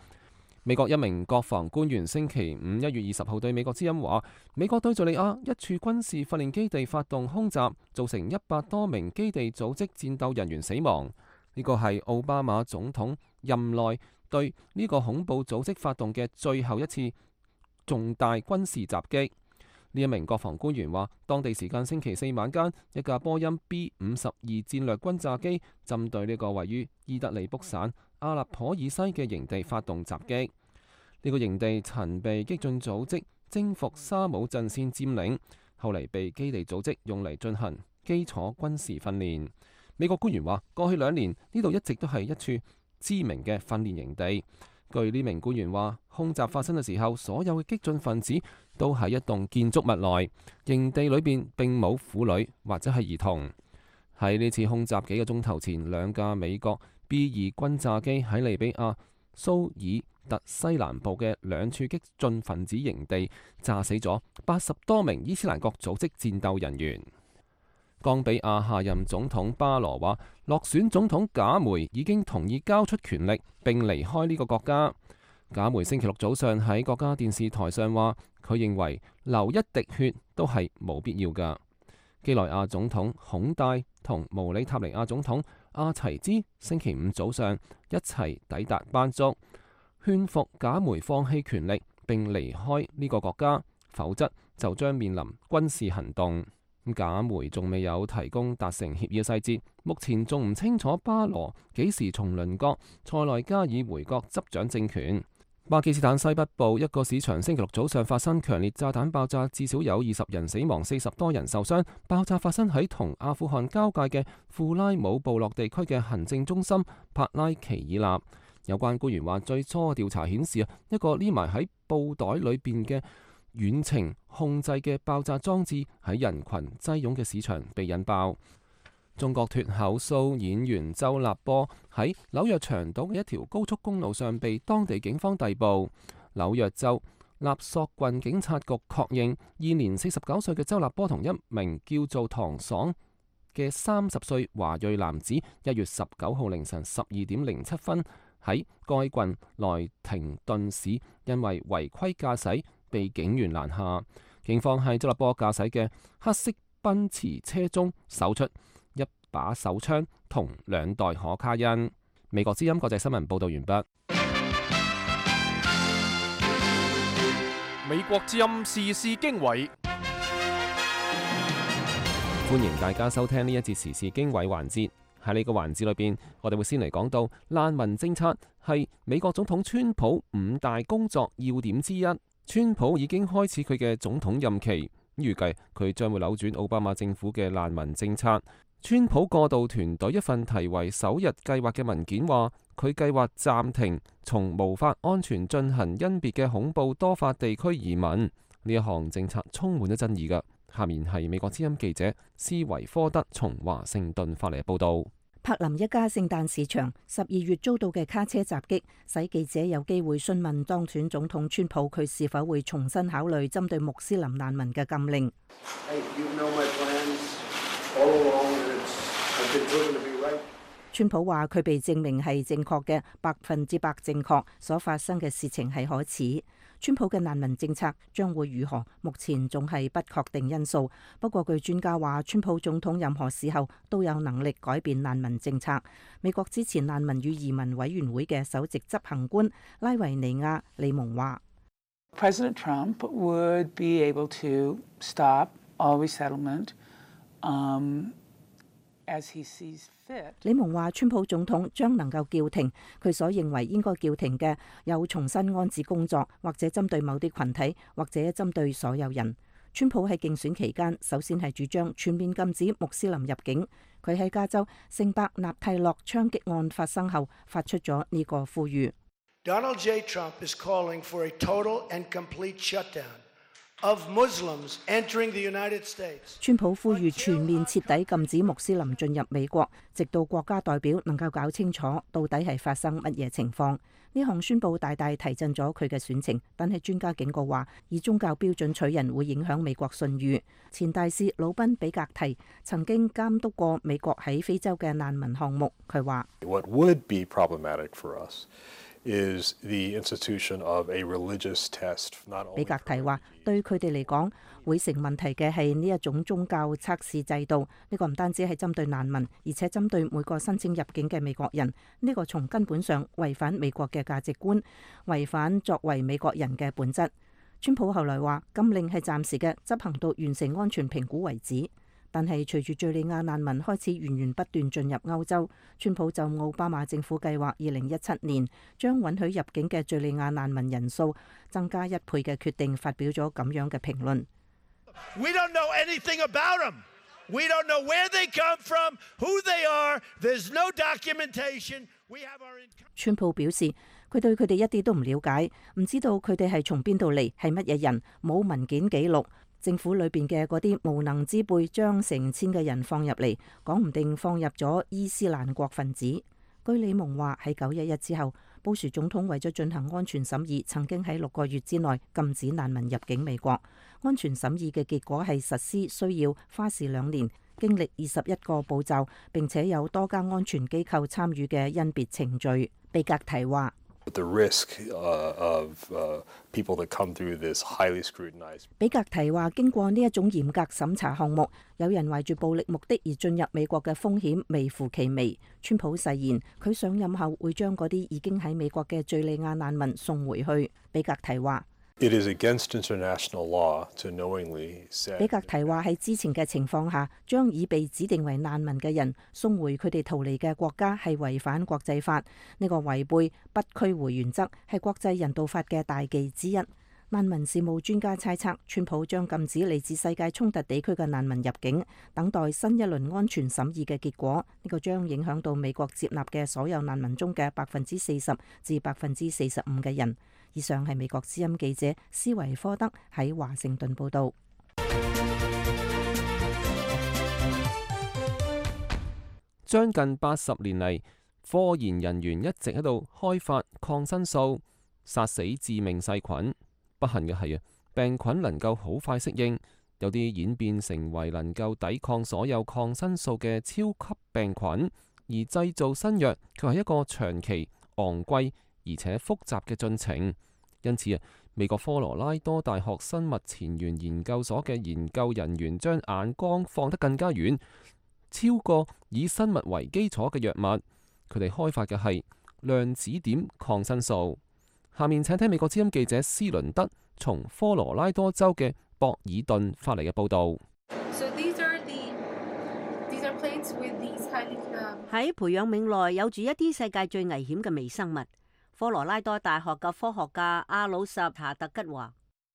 美國一名國防官員星期五一月二十號對美國之音話，美國對敘利亞一處軍事訓練基地發動空襲，造成一百多名基地組織戰鬥人員死亡。呢個係奧巴馬總統任內對呢個恐怖組織發動嘅最後一次重大軍事襲擊。呢一名國防官員話，當地時間星期四晚間，一架波音 B 五十二戰略轟炸機針對呢個位於伊德利卜省阿勒頗以西嘅營地發動襲擊。呢、這個營地曾被激進組織征服沙姆陣線佔領，後嚟被基地組織用嚟進行基礎軍事訓練。美國官員話，過去兩年呢度一直都係一處知名嘅訓練營地。據呢名官員話，空襲發生嘅時候，所有嘅激進分子都喺一棟建築物內，營地裏邊並冇婦女或者係兒童。喺呢次空襲幾個鐘頭前，兩架美國 B 二轟炸機喺利比亞蘇爾特西南部嘅兩處激進分子營地炸死咗八十多名伊斯蘭國組織戰鬥人員。岡比亞下任總統巴羅話，落選總統賈梅已經同意交出權力並離開呢個國家。賈梅星期六早上喺國家電視台上話，佢認為流一滴血都係冇必要㗎。基萊亞總統孔戴同毛里塔尼亞總統阿齊茲星期五早上一齊抵達班竹，勸服賈梅放棄權力並離開呢個國家，否則就將面臨軍事行動。賈梅仲未有提供達成協議嘅細節，目前仲唔清楚巴羅幾時從鄰國塞內加爾回國執掌政權。巴基斯坦西北部一個市場星期六早上發生強烈炸彈爆炸，至少有二十人死亡，四十多人受傷。爆炸發生喺同阿富汗交界嘅庫拉姆部落地區嘅行政中心帕拉奇爾納。有關官員話，最初調查顯示啊，一個匿埋喺布袋裏邊嘅遠程控制嘅爆炸裝置喺人群擠擁嘅市場被引爆。中國脫口秀演員周立波喺紐約長島嘅一條高速公路上被當地警方逮捕。紐約州納索郡警察局確認，現年四十九歲嘅周立波同一名叫做唐爽嘅三十歲華裔男子，一月十九號凌晨十二點零七分喺該郡萊廷頓市因為違規駕駛被警員攔下。警方喺周立波駕駛嘅黑色奔馳車中搜出一把手槍同兩袋可卡因。美國之音國際新聞報道完畢。美國之音時事經緯，歡迎大家收聽呢一節時事經緯環節。喺呢個環節裏邊，我哋會先嚟講到難民政策係美國總統川普五大工作要點之一。川普已經開始佢嘅總統任期，預計佢將會扭轉奧巴馬政府嘅難民政策。川普過渡團隊一份題為首日計劃嘅文件話，佢計劃暫停從無法安全進行甄別嘅恐怖多發地區移民。呢一項政策充滿咗爭議㗎。下面係美國之音記者斯維科德從華盛頓發嚟嘅報道。柏林一家聖誕市場十二月遭到嘅卡車襲擊，使記者有機會詢問當選總統川普佢是否會重新考慮針對穆斯林難民嘅禁令。川普話佢被證明係正確嘅，百分之百正確，所發生嘅事情係可恥。川普嘅難民政策將會如何，目前仲係不確定因素。不過據專家話，川普總統任何時候都有能力改變難民政策。美國支持難民與移民委員會嘅首席執行官拉維尼亞利蒙話 President Trump would be able to stop all resettlement, um, as he sees fit. 李蒙話川普總統將能夠叫停佢所認為應該叫停嘅有重新安置工作，或者針對某啲群體，或者針對所有人。川普喺競選期間首先係主張全面禁止穆斯林入境。佢喺加州聖伯納蒂諾槍擊案發生後發出咗呢個呼籲。Donald J. Trump is calling for a total and complete shutdown of Muslims entering the United States. 川普呼籲全面徹底禁止穆斯林進入美國，直到國家代表能夠搞清楚到底係發生乜嘢情況。呢項宣佈大大提振咗佢嘅選情，但係專家警告話，以宗教標準取人會影響美國信譽。前大使魯賓比格提曾經監督過美國喺非洲嘅難民項目，佢話：What would be problematic for us is the institution of a religious test. 比格提話：對佢哋嚟講，會成問題嘅係呢一種宗教測試制度。呢個唔單止係針對難民，而且針對每個申請入境嘅美國人。呢個從根本上違反美國嘅價值觀，違反作為美國人嘅本質。川普後來話：禁令係暫時嘅，執行到完成安全評估為止。但係隨住敘利亞難民開始源源不斷進入歐洲，川普就奧巴馬政府計劃二零一七年將允許入境嘅敘利亞難民人數增加一倍嘅決定發表咗咁樣嘅評論。We don't know anything about them. We don't know where they come from, who they are. There's no documentation. We have our... 川普表示，佢對佢哋一啲都唔了解，唔知道佢哋係從邊度嚟，係乜嘢人，冇文件記錄。政府裏邊嘅嗰啲無能之輩將成千嘅人放入嚟，講唔定放入咗伊斯蘭國分子。據李蒙話，喺九一一之後，布殊總統為咗進行安全審議，曾經喺六個月之內禁止難民入境美國。安全審議嘅結果係實施需要花時兩年，經歷二十一個步驟，並且有多家安全機構參與嘅甄別程序。比格提話The risk, uh, of, uh, people that come through this highly scrutinized. 比格提話：經過呢一種嚴格審查項目，有人懷住暴力目的而進入美國嘅風險微乎其微。川普誓言佢上任後會將嗰啲已經喺美國嘅敘利亞難民送回去。比格提話It is against international law to knowingly send. 比格提話喺之前嘅情況下，將已被指定為難民嘅人送回佢哋逃離嘅國家係違反國際法。呢個違背不驅回原則係國際人道法嘅大忌之一。難民事務專家猜測，川普將禁止嚟自世界衝突地區嘅難民入境，等待新一輪安全審議嘅結果。呢個將影響到美國接納嘅所有難民中嘅百分之四十至百分之四十五嘅人。以上係美國之音記者斯維科德喺華盛頓報道。將近八十年嚟，科研人員一直喺度開發抗生素，殺死致命細菌。不幸嘅係啊，病菌能夠好快適應，有啲演變成為能夠抵抗所有抗生素嘅超級病菌，而製造新藥卻係一個長期、昂貴而且複雜嘅進程。因此啊，美國科羅拉多大學生物前沿研究所嘅研究人員將眼光放得更加遠，超過以生物為基礎嘅藥物，佢哋開發嘅係量子點抗生素。下面請聽美國之音記者斯倫德從科羅拉多州嘅博爾頓發嚟嘅報導。喺培養皿內有住一啲世界最危險嘅微生物。科羅拉多大學嘅科學家阿魯什查特吉話：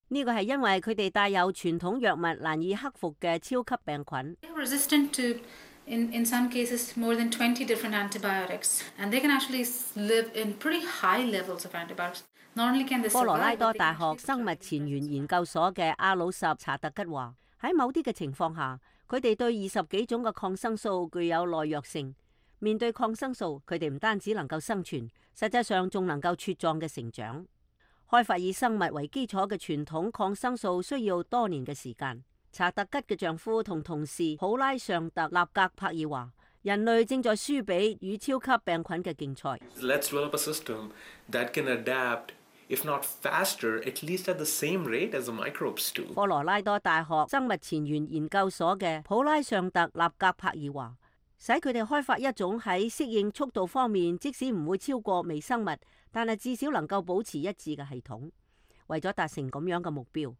呢個係因為佢哋帶有傳統藥物難以克服嘅超級病菌。Resistant to, in in some cases, more than twenty different antibiotics, and they can actually live in pretty high levels of antibiotics. Not only can they survive, 科羅拉多大學生物前沿研究所嘅阿魯什查特吉話：喺某啲嘅情況下，佢哋對二十幾種嘅抗生素具有耐藥性。面對抗生素，佢哋唔單止能夠生存，實際上仲能夠茁壯嘅成長。開發以生物為基礎嘅傳統抗生素需要多年嘅時間。查特吉嘅丈夫同同事普拉尚特納格柏爾話：人類正在輸俾與超級病菌嘅競賽。Let's develop a system that can adapt, if not faster, at least at the same rate as the microbes do. 科羅拉多大學生物前沿研究所嘅普拉尚特納格柏爾話：使佢哋開發一種喺適應速度方面，即使唔會超過微生物，但係至少能夠保持一致嘅系統。為咗達成咁樣嘅目標，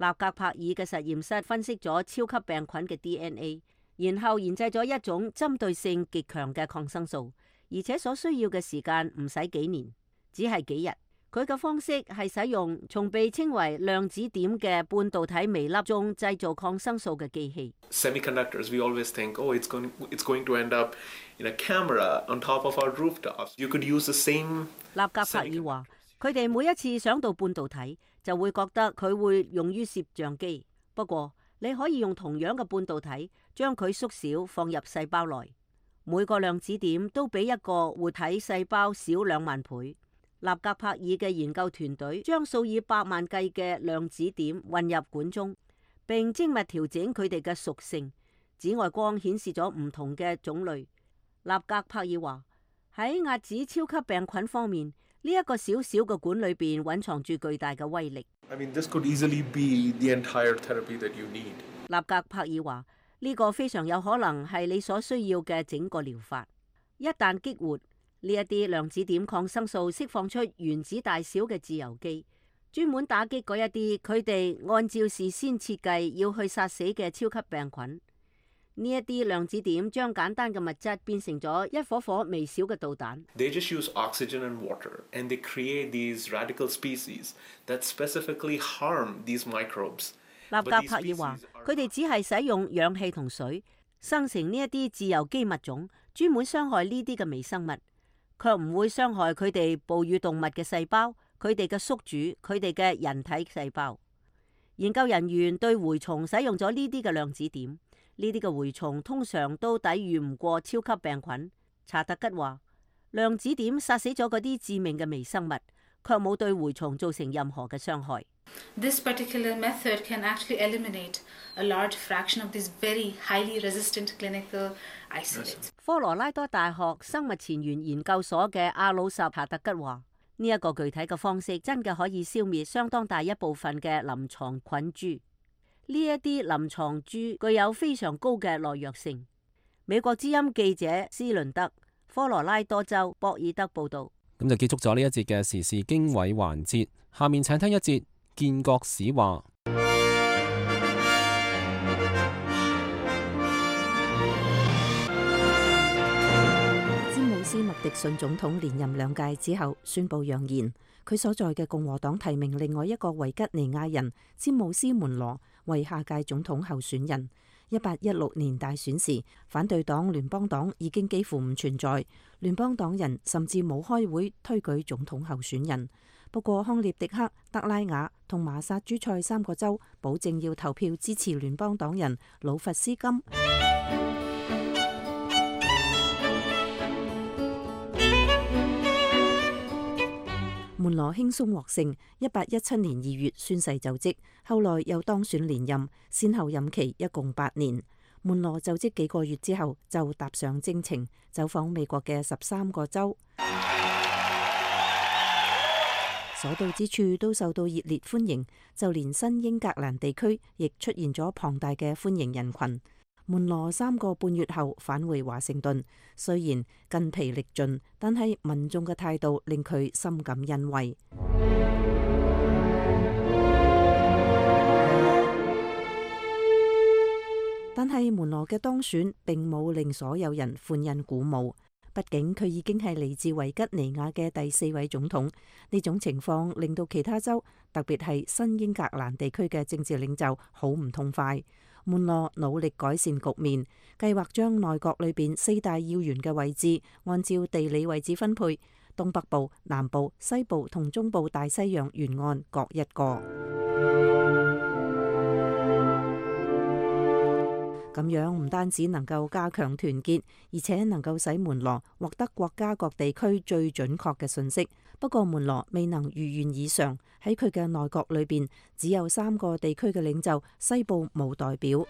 納格柏爾嘅實驗室分析咗超級病菌嘅 D N A， 然後研製咗一種針對性極強嘅抗生素，而且所需要嘅時間唔使幾年，只係幾日。佢嘅方式係使用從被稱為量子點嘅半導體微粒中製造抗生素嘅機器。Semiconductors, we always think, oh, it's going, it's going to end up in a camera on top of our rooftops. You could use the same. 納格柏爾話：佢哋每一次想到半導體，就會覺得佢會用於攝像機。不過，你可以用同樣嘅半導體，將佢縮小放入細胞內。每個量子點都比一個活體細胞少兩萬倍。納格柏爾嘅研究團隊將數以百萬計嘅量子點混入管中，並精密調整佢哋嘅屬性。紫外光顯示咗唔同嘅種類。納格柏爾話：喺遏止超級病菌方面，呢、這、一個小小嘅管裏邊蘊藏住巨大嘅威力。I mean, this could easily be the entire therapy that you need. 納格柏爾話：呢、這個非常有可能係你所需要嘅整個療法。一旦激活呢一啲量子點抗生素，釋放出原子大小嘅自由基，專門打擊嗰一啲佢哋按照事先設計要去殺死嘅超級病菌。呢一啲量子點將簡單嘅物質變成咗一顆顆微小嘅導彈。They just use oxygen and water, and they create these radical species that specifically harm these microbes. 納格柏爾話：佢哋只係使用氧氣同水生成呢一啲自由基物種，專門傷害呢啲嘅微生物，卻唔會傷害佢哋哺乳動物嘅細胞、佢哋嘅宿主、佢哋嘅人體細胞。研究人員對蛔蟲使用咗呢啲嘅量子點，呢啲嘅蛔蟲通常都抵禦唔過超級病菌。查特吉話：量子點殺死咗嗰啲致命嘅微生物，卻冇對蛔蟲造成任何嘅傷害。This particular method can actually eliminate a large fraction of these very highly resistant clinical isolates. 科羅拉多大學生物前沿研究所嘅阿魯什查特吉話：呢、這、一個具體嘅方式真嘅可以消滅相當大一部分嘅臨床菌株。呢一啲臨床株具有非常高嘅耐藥性。美國之音記者斯倫德，科羅拉多州博爾德報道。咁就結束咗呢一節嘅時事經緯環節，下面請聽一節建國史話。詹姆斯麥迪遜總統連任兩屆之後宣布揚言，佢所在嘅共和黨提名另外一個維吉尼亞人詹姆斯門羅為下屆總統候選人。一八一六年大選時，反對黨聯邦黨已經幾乎唔存在，聯邦黨人甚至冇開會推舉總統候選人。不過康涅狄克、德拉瓦同麻薩諸塞三個州保證要投票支持聯邦黨人魯弗斯金。門門羅輕鬆獲勝，一八一七年二月宣誓就職，後來又當選連任，先後任期一共八年。門羅就職幾個月之後，就踏上征程，走訪美國嘅十三個州，所到之處都受到熱烈歡迎，就連新英格蘭地區亦出現咗龐大嘅歡迎人群。門羅三個半月後返回華盛頓，雖然筋疲力盡，但係民眾嘅態度令佢深感欣慰。但係門羅嘅當選並冇令所有人歡欣鼓舞，畢竟佢已經係嚟自維吉尼亞嘅第四位總統。呢種情況令到其他州，特別係新英格蘭地區嘅政治領袖好唔痛快。門羅努力改善局面，計劃將內閣裏邊四大要員嘅位置按照地理位置分配，東北部、南部、西部同中部大西洋沿岸各一個。咁樣唔單止能夠加強團結，而且能夠使門羅獲得國家各地區最準確嘅信息。不過門羅未能如願以償，喺佢嘅內閣裏邊只有三個地區嘅領袖，西部冇代表。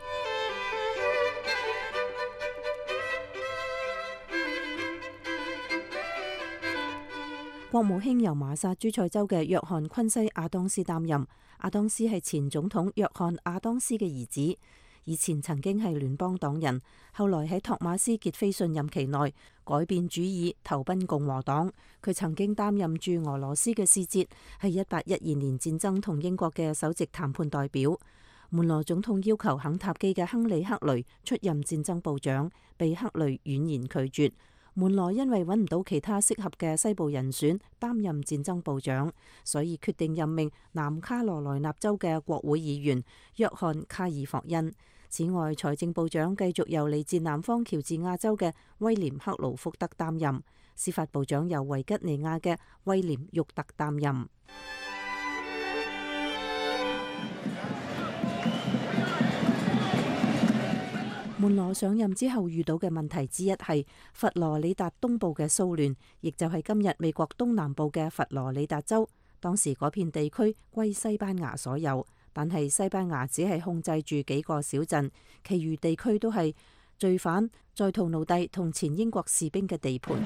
國務卿由馬薩諸塞州嘅約翰昆西亞當斯擔任。亞當斯係前總統約翰亞當斯嘅兒子。以前曾經係聯邦黨人，後來喺托馬斯傑菲遜任期內改變主意，投奔共和黨。佢曾經擔任駐俄羅斯嘅使節，係一八一二年戰爭同英國嘅首席談判代表。門羅總統要求肯塔基嘅亨利克雷出任戰爭部長，被克雷婉言拒絕。門羅因為揾唔到其他適合嘅西部人選擔任戰爭部長，所以決定任命南卡羅來納州嘅國會議員約翰卡爾霍恩。此外，財政部長繼續由嚟自南方喬治亞州嘅威廉克勞福德擔任，司法部長由維吉尼亞嘅威廉沃特擔任。門羅上任之後遇到嘅問題之一係佛羅里達東部嘅騷亂，亦就係今日美國東南部嘅佛羅里達州。當時嗰片地區歸西班牙所有，但係西班牙只係控制住幾個小鎮，其餘地區都係罪犯、在逃奴隸同前英國士兵嘅地盤。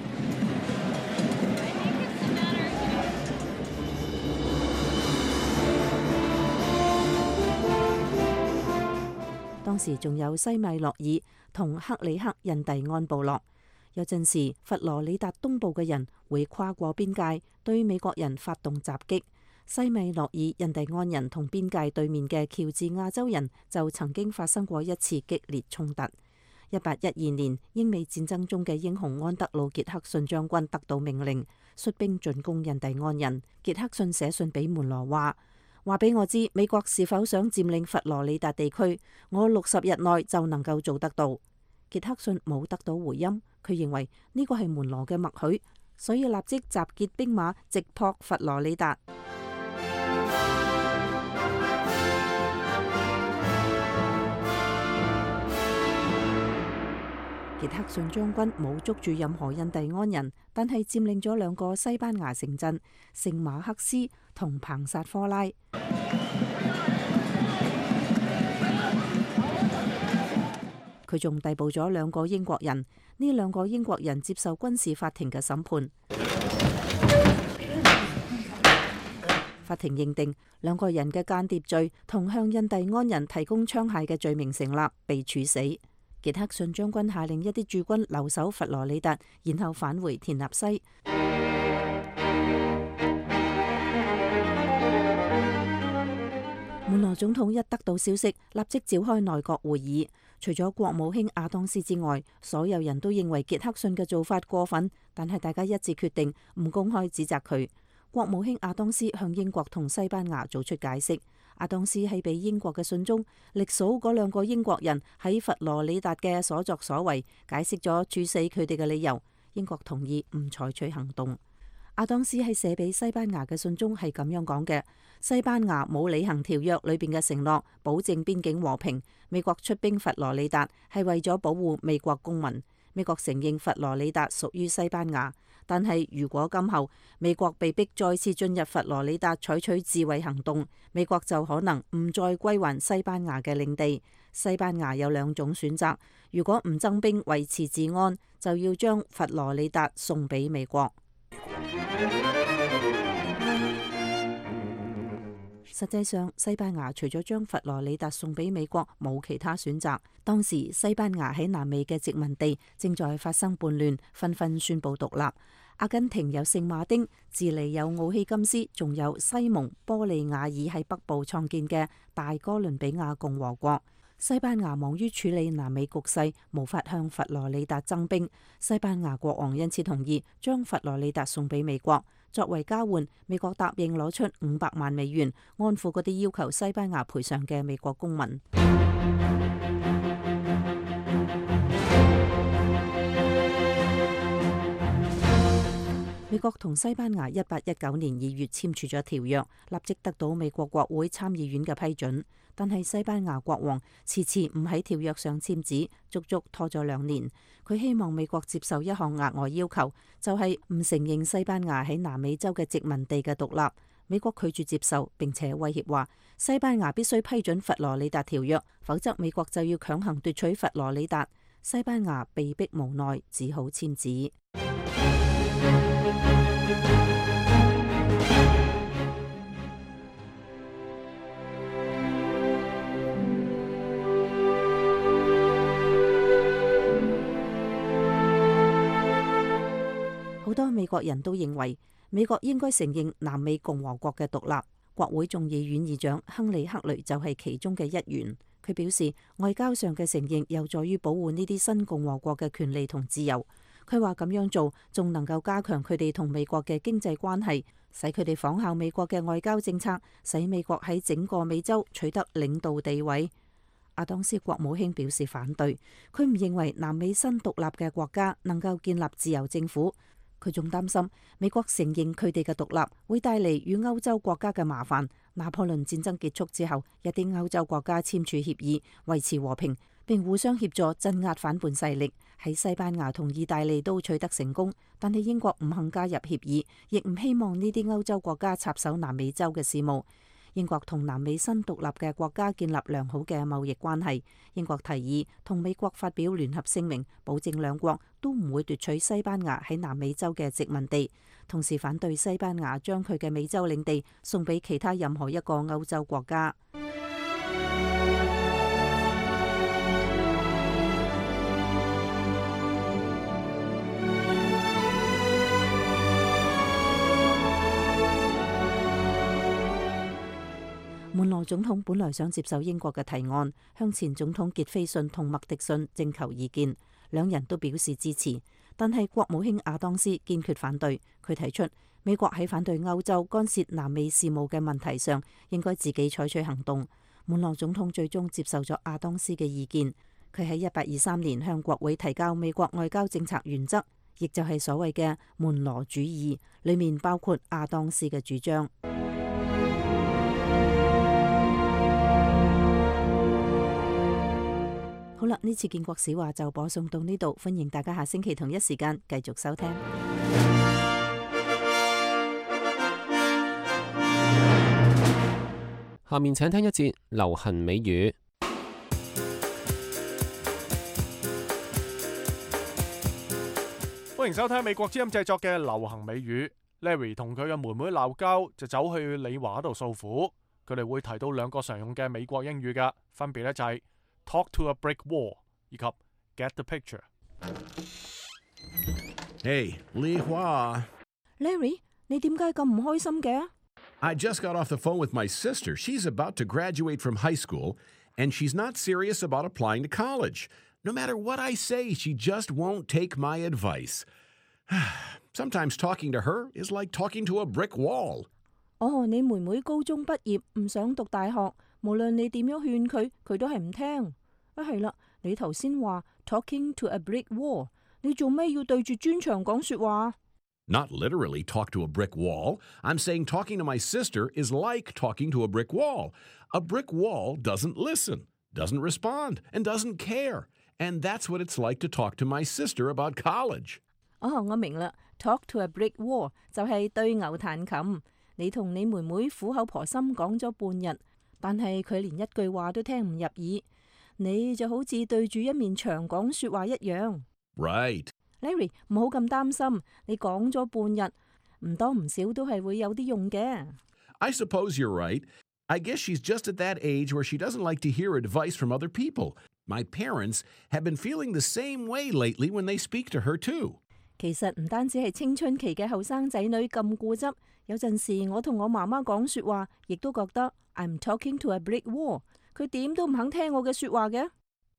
當時仲有西米諾爾同克里克印第安部落。有陣時佛羅里達東部嘅人會跨過邊界對美國人發動襲擊。西米諾爾印第安人同邊界對面嘅喬治亞州人就曾經發生過一次激烈衝突。一八一二年英美戰爭中嘅英雄安德魯傑克遜將軍得到命令，率兵進攻印第安人。傑克遜寫信俾門羅話：話俾我知美國是否想佔領佛羅里達地區，我六十日內就能夠做得到。傑克遜冇得到回音，佢認為呢個係門羅嘅默許，所以立即集結兵馬直撲佛羅里達。傑克遜將軍冇捉住任何印第安人，但係佔領咗兩個西班牙城鎮聖馬克斯同彭薩科拉。佢仲逮捕咗兩個英國人，呢兩個英國人接受軍事法庭嘅審判。法庭認定兩個人嘅間諜罪同向印第安人提供槍械嘅罪名成立，被處死。傑克遜將軍下令一啲駐軍留守佛羅里達，然後返回田納西。門羅總統一得到消息，立即召開內閣會議。除咗國務卿亞當斯之外，所有人都認為傑克遜嘅做法過分，但係大家一致決定唔公開指責佢。國務卿亞當斯向英國同西班牙做出解釋。亞當斯喺俾英國嘅信中，歷數嗰兩個英國人喺佛羅里達嘅所作所為，解釋咗處死佢哋嘅理由。英國同意唔採取行動。亞當斯喺寫俾西班牙嘅信中係咁樣講嘅：西班牙冇履行條約裏邊嘅承諾，保證邊境和平。美國出兵佛羅里達係為咗保護美國公民。美國承認佛羅里達屬於西班牙，但係如果今後美國被逼再次進入佛羅里達採取自衛行動，美國就可能唔再歸還西班牙嘅領地。西班牙有兩種選擇，如果唔增兵維持治安，就要將佛羅里達送俾美國。實際上，西班牙除咗將佛羅里達送俾美國，冇其他選擇。當時西班牙喺南美嘅殖民地正在發生叛亂，紛紛宣布獨立。阿根廷有聖馬丁，智利有奧希金斯，仲有西蒙波利亞爾喺北部創建嘅大哥倫比亞共和國。西班牙忙於處理南美局勢，無法向佛羅里達增兵。西班牙國王因此同意將佛羅里達送俾美國。作為交換，美國答應攞出五百萬美元，安撫嗰啲要求西班牙賠償嘅美國公民。美國同西班牙一八一九年二月簽署咗條約，立即得到美國國會參議院嘅批准。但係西班牙國王遲遲唔喺條約上簽字，足足拖咗兩年。佢希望美國接受一項額外要求，就係唔承認西班牙喺南美洲嘅殖民地嘅獨立。美國拒絕接受，並且威脅話西班牙必須批准佛羅里達條約，否則美國就要強行奪取佛羅里達。西班牙被迫無奈，只好簽字。好多美國人都認為美國應該承認南美共和國嘅獨立。國會眾議院議長亨利克雷就係其中嘅一員。佢表示，外交上嘅承認有助於保護呢啲新共和國嘅權利同自由。佢話咁樣做仲能夠加強佢哋同美國嘅經濟關係，使佢哋仿效美國嘅外交政策，使美國喺整個美洲取得領導地位。阿當斯國務卿表示反對，佢唔認為南美新獨立嘅國家能夠建立自由政府。佢仲擔心美國承認佢哋嘅獨立會帶嚟與歐洲國家嘅麻煩。拿破崙戰爭結束之後，一啲歐洲國家簽署協議維持和平，並互相協助鎮壓反叛勢力。喺西班牙同意大利都取得成功，但係英國唔肯加入協議，亦唔希望呢啲歐洲國家插手南美洲嘅事務。英國同南美新獨立嘅國家建立良好嘅貿易關係。英國提議同美國發表聯合聲明，保證兩國都唔會奪取西班牙喺南美洲嘅殖民地，同時反對西班牙將佢嘅美洲領地送俾其他任何一個歐洲國家。門羅總統本來想接受英國嘅提案，向前總統傑斐遜同麥迪遜徵求意見，兩人都表示支持。但係國務卿亞當斯堅決反對，佢提出美國喺反對歐洲干涉南美事務嘅問題上，應該自己採取行動。門羅總統最終接受咗亞當斯嘅意見，佢喺一八二三年向國會提交美國外交政策原則，亦就係所謂嘅門羅主義，裏面包括亞當斯嘅主張。好啦，呢次建國史話就播送到呢度，歡迎大家下星期同一時間繼續收聽。下面請聽一節流行美語。歡迎收聽美國之音製作嘅流行美語。Larry 同佢嘅妹妹鬧交，就走去李華度訴苦。佢哋會提到兩個常用嘅美國英語㗎，分別咧就係Talk to a brick wall 以及 Get the picture。 Hey, Li Hua. Larry, 你點解咁唔開心嘅？ I just got off the phone with my sister. She's about to graduate from high school, and she's not serious about applying to college. No matter what I say, she just won't take my advice. Sometimes talking to her is like talking to a brick wall. 哦，你妹妹高中畢業，唔想讀大學。無論你點樣勸佢，佢都係唔聽。啊，係啦，你頭先話 talking to a brick wall， 你做咩要對住磚牆講說話？ Not literally talk to a brick wall. I'm saying talking to my sister is like talking to a brick wall. A brick wall doesn't listen, doesn't respond, and doesn't care. And that's what it's like to talk to my sister about college. 哦，我明啦， Talk to a brick wall 就係對牛彈琴。你同你妹妹苦口婆心講咗半日，但係佢連一句話都聽唔入耳，你就好似對住一面牆講說話一樣。Right. Larry， 唔好咁擔心，你講咗半日，唔多唔少都係會有啲用嘅。I suppose you're right. I guess she's just at that age where she doesn't like to hear advice from other people. My parents have been feeling the same way lately when they speak to her too. 其實唔單止係青春期嘅後生仔女咁固執，有陣時我同我媽媽講說話，亦都覺得 I'm talking to a brick wall。佢點都唔肯聽我嘅說話嘅。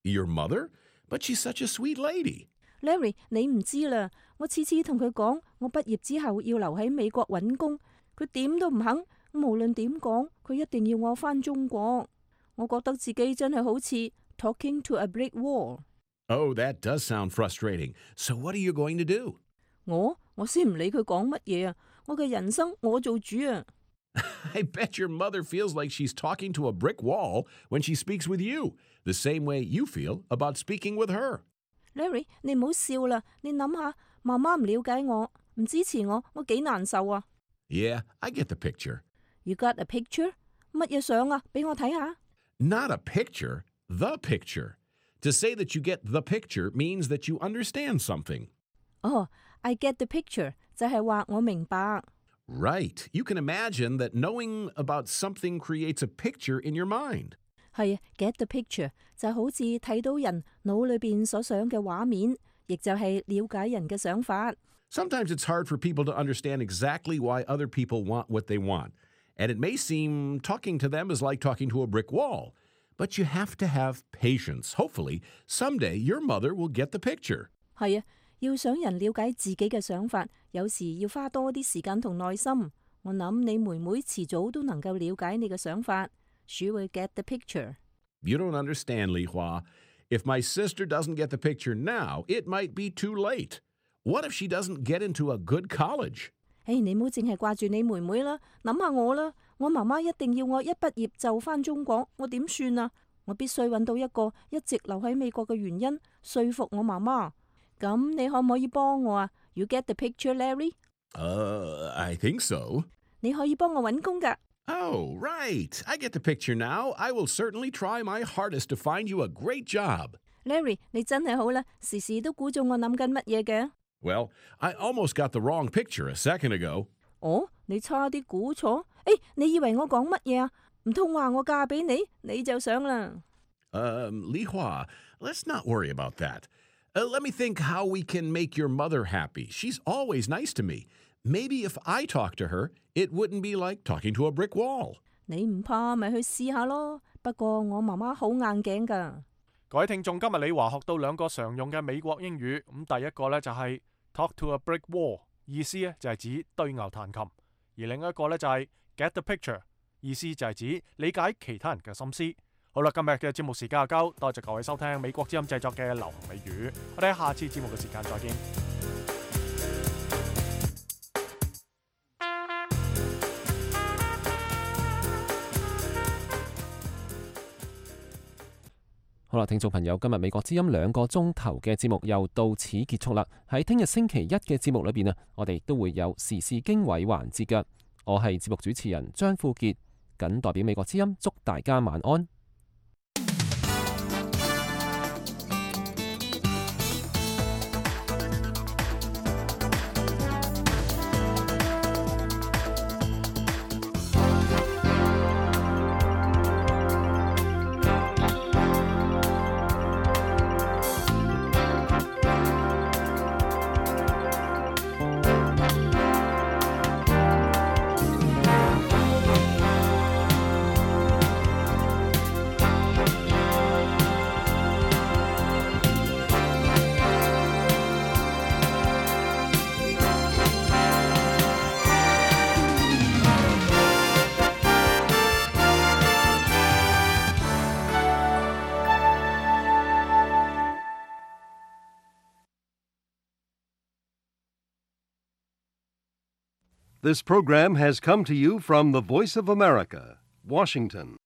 Your mother? But she's such a sweet lady. Larry， 你唔知啦，我次次同佢講，我畢業之後要留喺美國揾工，佢點都唔肯。無論點講，佢一定要我返中國。我覺得自己真係好似 talking to a brick wall。Oh, that does sound frustrating. So what are you going to do? 我我先唔理佢講乜嘢啊！我嘅人生我做主啊！ I bet your mother feels like she's talking to a brick wall when she speaks with you, the same way you feel about speaking with her. Larry， 你唔好笑啦！你諗下，媽媽唔了解我，唔支持我，我幾難受啊！ Yeah, I get the picture. You got a picture? 乜嘢相啊？俾我睇下。Not a picture, the picture. To say that you get the picture means that you understand something. Oh, I get the picture 就係話我明白。Right. You can imagine that knowing about something creates a picture in your mind. 係 get the picture 就好似睇到人腦裏邊所想嘅畫面，亦就係了解人嘅想法。Sometimes it's hard for people to understand exactly why other people want what they want. And it may seem talking to them is like talking to a brick wall. But you have to have patience. Hopefully, someday your mother will get the picture. 係啊，要想人了解自己嘅想法，有時要花多啲時間同耐心。我諗你妹妹遲早都能夠了解你嘅想法。She will get the picture. You don't understand, Li Hua. If my sister doesn't get the picture now, it might be too late. What if she doesn't get into a good college? 誒，你唔好淨係掛住你妹妹啦，諗下我啦。我媽媽一定要我一畢業就返中國，我點算啊？我必須揾到一個一直留喺美國嘅原因，說服我媽媽。咁你可唔可以幫我啊？ You get the picture, Larry? Uh, I think so. 你可以幫我揾工㗎。Oh, right. I get the picture now. I will certainly try my hardest to find you a great job. Larry， 你真係好啦，時時都估中我諗緊乜嘢嘅。Well, I almost got the wrong picture a second ago. 哦，你差啲估錯？誒，你以為我講乜嘢啊？唔通話我嫁俾你，你就想啦。Um, Li Hua, let's not worry about that. Uh, let me think how we can make your mother happy. She's always nice to me. Maybe if I talk to her, it wouldn't be like talking to a brick wall. 你唔怕咪去試下咯。不過我媽媽好硬頸㗎。各位聽眾，今日李華學到兩個常用嘅美國英語。咁第一個呢就係 talk to a brick wall， 意思呢就係指對牛彈琴；而另一個呢就係 get the picture， 意思就係指理解其他人嘅心思。好啦，今日嘅節目時間就夠，多謝各位收聽美國之音製作嘅流行美語。我哋喺下次節目嘅時間再見。好啦，聽眾朋友，今日美國之音兩個鐘頭嘅節目又到此結束啦。喺聽日星期一嘅節目裏邊啊，我哋都會有時事經緯環節嘅。我係節目主持人張富傑，謹代表美國之音祝大家晚安。This program has come to you from the Voice of America, Washington.